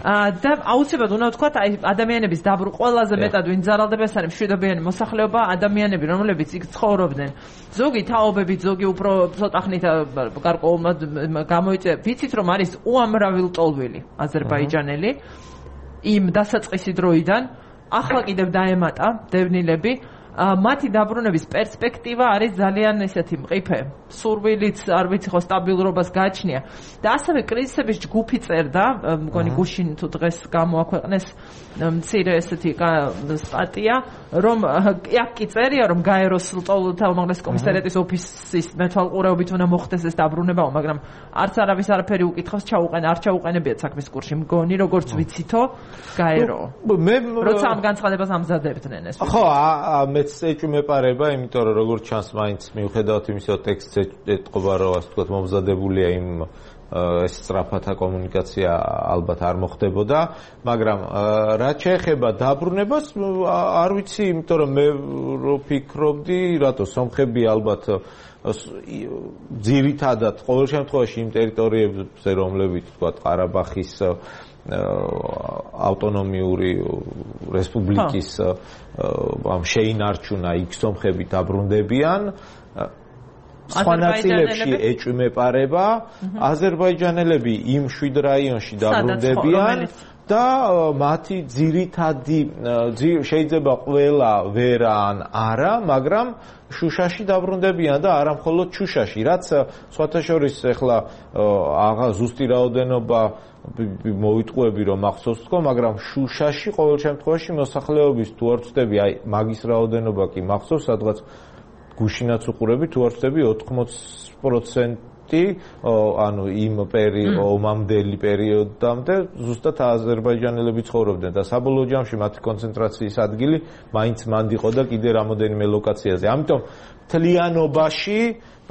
და აუცილებლად უნდა ვთქვათ, აი ადამიანების დაბრუნება ყველაზე მეტად ვინ ძალადდება, ეს არის მშვიდობიანი მოსახლეობა, ადამიანები, რომლებიც იქ ცხოვრობდნენ. ზოგი თაობებით, ზოგი უფრო ცოტა ხნით გარკვეულად გამოიწვია. ვიცით რომ არის უამრავი ლტოლვილი აზერბაიჯანელი იმ დასაწყისი დროიდან, ახლა კიდევ დაემატა დევნილები. მათი დაბრუნების პერსპექტივა არის ძალიან ესეთი მყიფე. სურვილიც არ ვიცი ხო სტაბილურობას გააჩნია. და ასევე კრიზისების ჯგუფი წერდა, მგონი გუშინ თუ დღეს გამოაქვეყნეს მცირე ესეთი სტატია, რომ აქ კი წერია, რომ გაეროს ლტოლვილთა უმაღლესი კომისარიატის ოფისის მეთვალყურეობით უნდა მოხდეს ეს დაბრუნება, მაგრამ არც არავის არაფერი უკითხავს, ჩაუყენ, არ ჩაუყენებიათ საქმის კურსში. მგონი როგორც ვიცითო, გაერო. მე როცა ამ განცხადებას ამზადებდნენ ეს. ხო, მე მეც ეჭვმეპარება, იმიტომ რომ როგორც ჩანს, მაინც მიუხედავად იმისა, რომ ტექსტზე ეთყობა, რომ ასე ვთქვათ, მომზადებულია იმ ეს სწრაფათა კომუნიკაცია ალბათ არ მოხდებოდა, მაგრამ რაც შეეხება დაბრუნებას, არ ვიცი, იმიტომ რომ მე ვფიქრობდი, რატო სომხები ალბათ ძირითადად ყოველ შემთხვევაში იმ ტერიტორიებზე, რომლებიც ვთქვათ, ყარაბახის ავტონომიური რესპუბლიკის ამ შეინარჩუნა იქ სომხები დაბრუნდებიან. სხვა ნაწილებში ეჭვმეპარება, აზერბაიჯანელები იმ შვიდ რაიონში დაბრუნდებიან და მათი ძირითადი შეიძლება ყველა ვერა ან არა, მაგრამ შუშაში დაბრუნდებიან და არა მხოლოდ შუშაში, რაც სხვათა შორის ეხლა აღა ზუსტი რაოდენობა მოვიტყუები რომ ახსოვს თქო, მაგრამ შუშაში ყოველ შემთხვევაში მოსახლეობის თუ არ ვწდები, აი მაგის რაოდენობა კი მახსოვს, სადღაც გუშინაც უყურები თუ არ ვწდები ოთხმოც პროცენტი, ანუ იმ ომამდელი პერიოდამდე ზუსტად აზერბაიჯანელები ცხოვრობდნენ და საბოლოო ჯამში მათი კონცენტრაციის ადგილი მაინც მანდ იყო და კიდე რამოდენიმე ლოკაციაზე. ამიტომ მთლიანობაში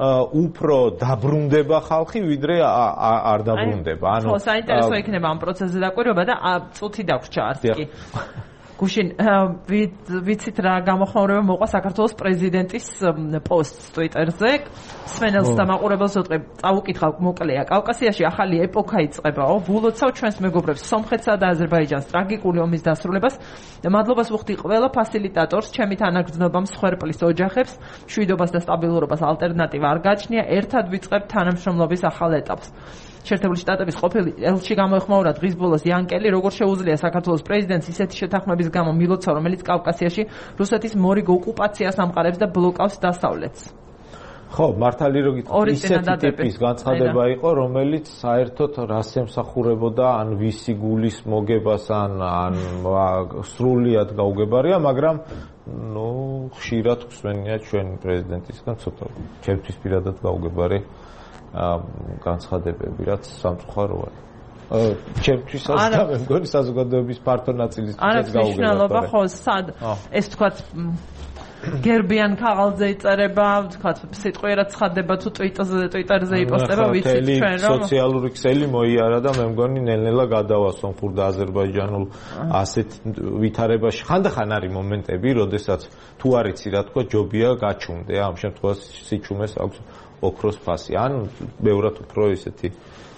უფრო დაბრუნდება ხალხი, ვიდრე არ დაბრუნდება. ანუ ხო, საინტერესო იქნება ამ პროცესზე დაკვირვება და წუთი დაგვრჩა არც კი. გუშინ ვიცით რა გამოხმაურება მოყვა საქართველოს პრეზიდენტის პოსტს ტვიტერზე. სვენელს და მაყურებელს ვეტყვი, წავუკითხა მოკლეა. კავკასიაში ახალი ეპოქა იწყებაო. ვულოცავ ჩვენს მეგობრებს სომხეთსა და აზერბაიჯანს ტრაგიკული ომის დასრულებას. მადლობას ვუხდი ყველა ფასილიტატორს, ჩემი თანაგრძნობამ, სხერპლის ოჯახებს, მშვიდობას და სტაბილურობას ალტერნატივა არ გააჩნია. ერთად ვიწყებთ თანამშრომლობის ახალ ეტაპს. შეერთებული შტატების ყოფილი ელჩი გამოეხმაურა დღის ბოლოს იანკელი, როგორ შეუძლია საქართველოს პრეზიდენტს ისეთი შეთანხმების გამო მილოცა, რომელიც კავკასიაში რუსეთის მორიგ ოკუპაციას ამყარებს და ბლოკავს დასავლეთს. ხო, მართალი რო გითხრათ, ისეთი ტიპის განცხადება იყო, რომელიც საერთოდ რას ემსახურებოდა, ან ვისი გულის მოგებას, ან ან სრულიად გაუგებარია, მაგრამ ნუ ხშირად გვსმენია ჩვენი პრეზიდენტისგან ცოტა ჩემთვის პირადად გაუგებარი განცხადებები, რაც სამწუხაროა. ჩემთვისაც და მე მგონი საზოგადოების ფართო ნაწილისთვისაც გაუგებარია. არა, მნიშვნელობა ხო, სად ეს თქვათ გერბიან ქაღალდზე იწერება, თქვათ სიტყვიერად ცხადდება თუ ტვიტერზე, ტვიტერზე იპოსტება, ვიცით ჩვენ რომ სოციალური ქსელი მოიარა და მე მგონი ნელ-ნელა გადავა სომხურ და აზერბაიჯანულ ასეთ ვითარებაში. ხანდახან არის მომენტები, როდესაც თუ არ იცი რა თქვა, ჯობია გაჩუმდე, ამ შემთხვევაში სიჩუმეს აქვს ოქროს ფასი. ან ბევრად უფრო ისეთი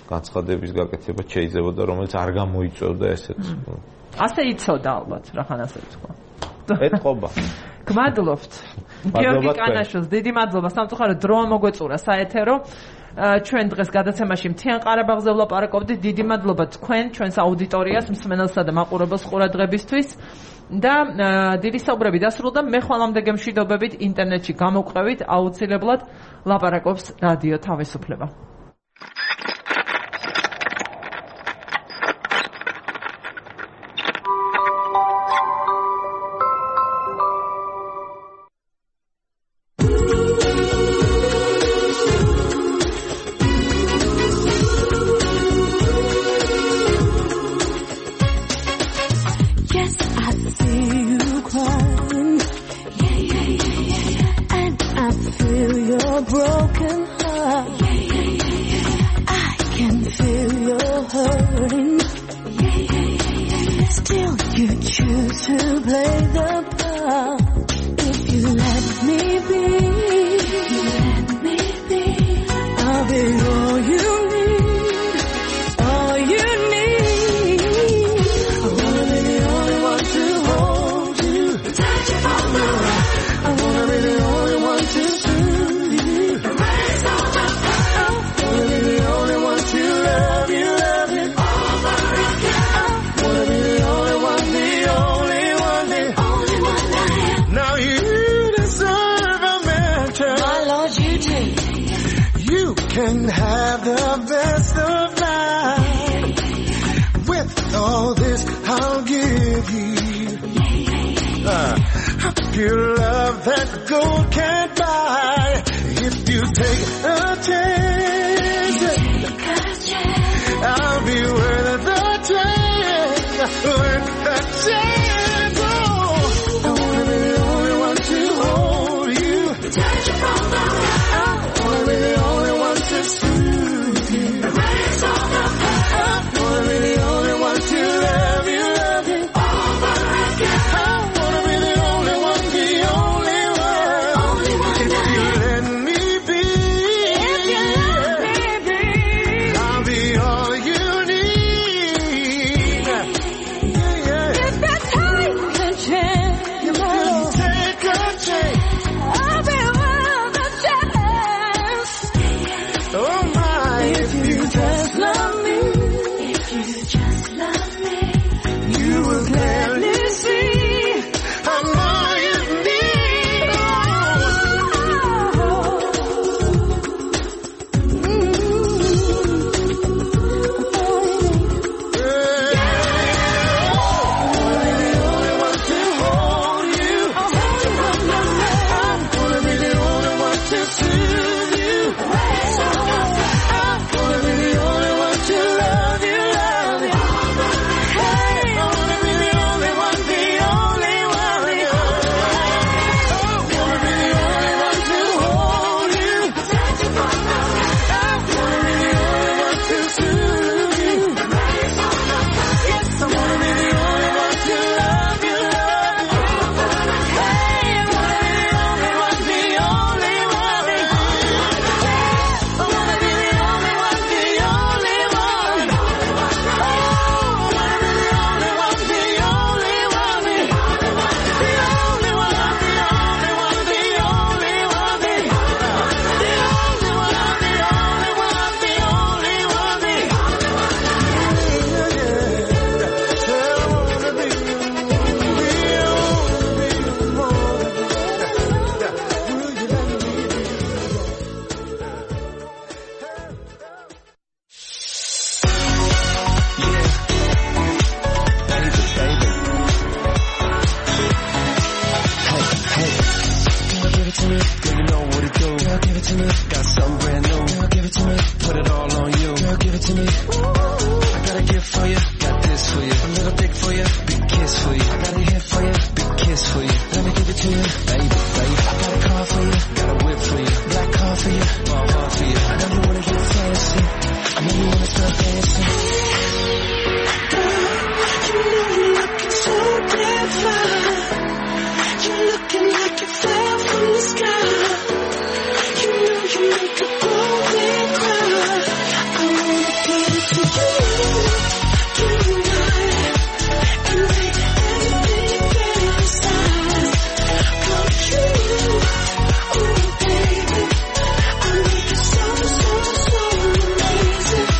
განცხადების გაკეთება შეიძლებოდა, რომელიც არ გამოიწვევდა ესეთ. ასე იცოდა ალბათ, რახან ასე თქვა. ეთყობა. გმადლობთ. გიორგი კანაშოს, დიდი მადლობა. სამწუხაროდ დროა მოგვეწურა საეთერო. ჩვენ დღეს გადაცემაში მთიან ყარაბაღზე ვლაპარაკობდით. დიდი მადლობა თქვენ, ჩვენს აუდიტორიას, მსმენელსა და მაყურებელს ყურადღებისთვის. და დიდი საუბრები დასრულდა. მე ხვალამდე გემშვიდობებით ინტერნეტში გამოვყევით, აუცილებლად ლაპარაკობს რადიო თავისუფლება. Can have the best of life. With all this I'll give you uh, a pure love that gold can't buy. If you take a chance, I'll be worth the chance. Worth the chance. Oh, I wanna be the only one to to me. Got something brand new. Girl, give it to me. Put it all on you. Girl, give it to me. Ooh, I got a gift for you. Got this for you. A little dick for you. Big kiss for you. I got a hit for you. Big kiss for you. Let me give it to you, baby, baby. I got a car for you. Got a whip for you. Black car for you. Ball hard for you. I know you wanna get fancy. I know you wanna start dancing. You know you're looking so damn fine. You're looking like you fell from the sky. You know you make a grown man cry. I wanna give it to you tonight and make everything fantasize come true. Oh baby, I make it so so so amazing.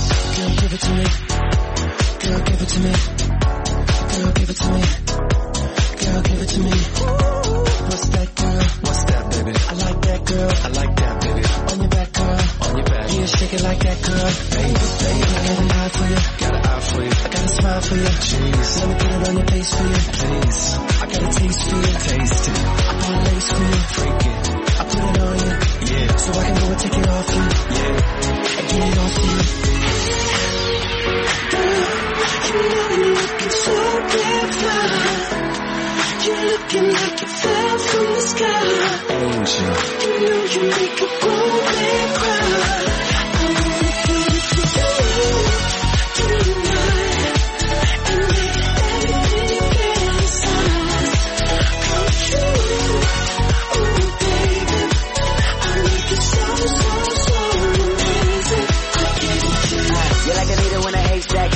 I give it to you. Girl, give it to me. Girl, give it to me. Girl, give it to me. Girl, give it to me. What's that, girl? What's that, baby? I like that, girl. I like that, baby. On your back, girl. On your back. Yeah, shake it like that, girl. Baby, baby. I got an eye for you. Got an eye for you. I got a smile for you. Jeez. Let me put it on your face for you. Please. I got a taste for you. Taste it. I got a lace for you. Freak it. I put it on you. Yeah. So I can go and take it off you. Yeah. And get it off you. You know you're looking so damn fine. You're looking like you fell from the sky. Angel. You know you make a grown man cry. I wanna give it to you tonight and make everything fantasize come true. Oh baby, I make it so so so amazing. I give it to you. You're like a needle in a haystack.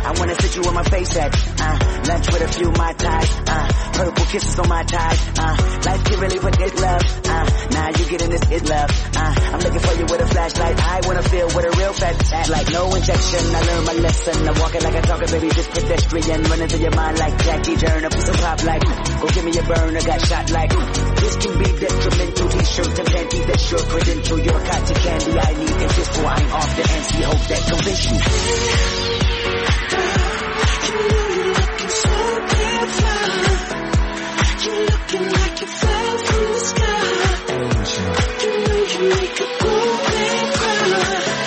I wanna sit you on my face at, uh, lunch with a few Mai Tais, uh, purple kisses on my thighs, uh, life can really put this love, uh, now you getting this is love, uh, I'm looking for you with a flashlight, I wanna feel what a real fat at, like no injection, I learned my lesson, I'm walking like a talker, baby, just pedestrian, running through your mind like Jackie Turner, piece of pop like, go give me a burner, got shot like, this can be detrimental, t-shirt and panty, that's your credential, you're cotton candy, I need a pistol, I ain't off the antsy, hope that convince you. You know you're looking so damn fine. You're looking like you fell from the sky. Angel. You know you make a grown man cry.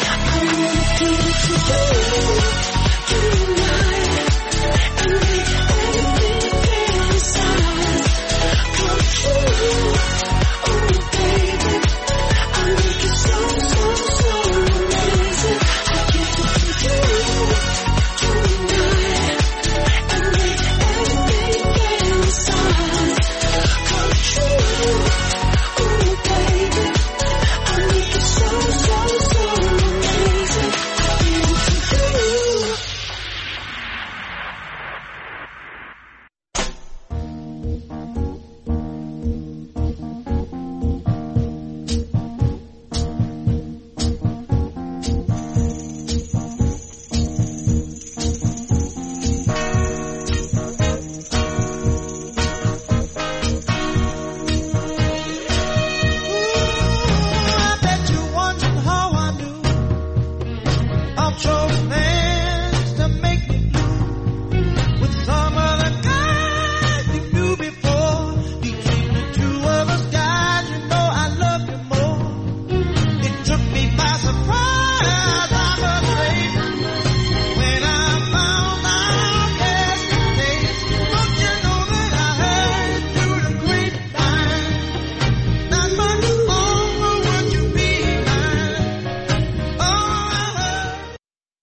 I wanna give it to you.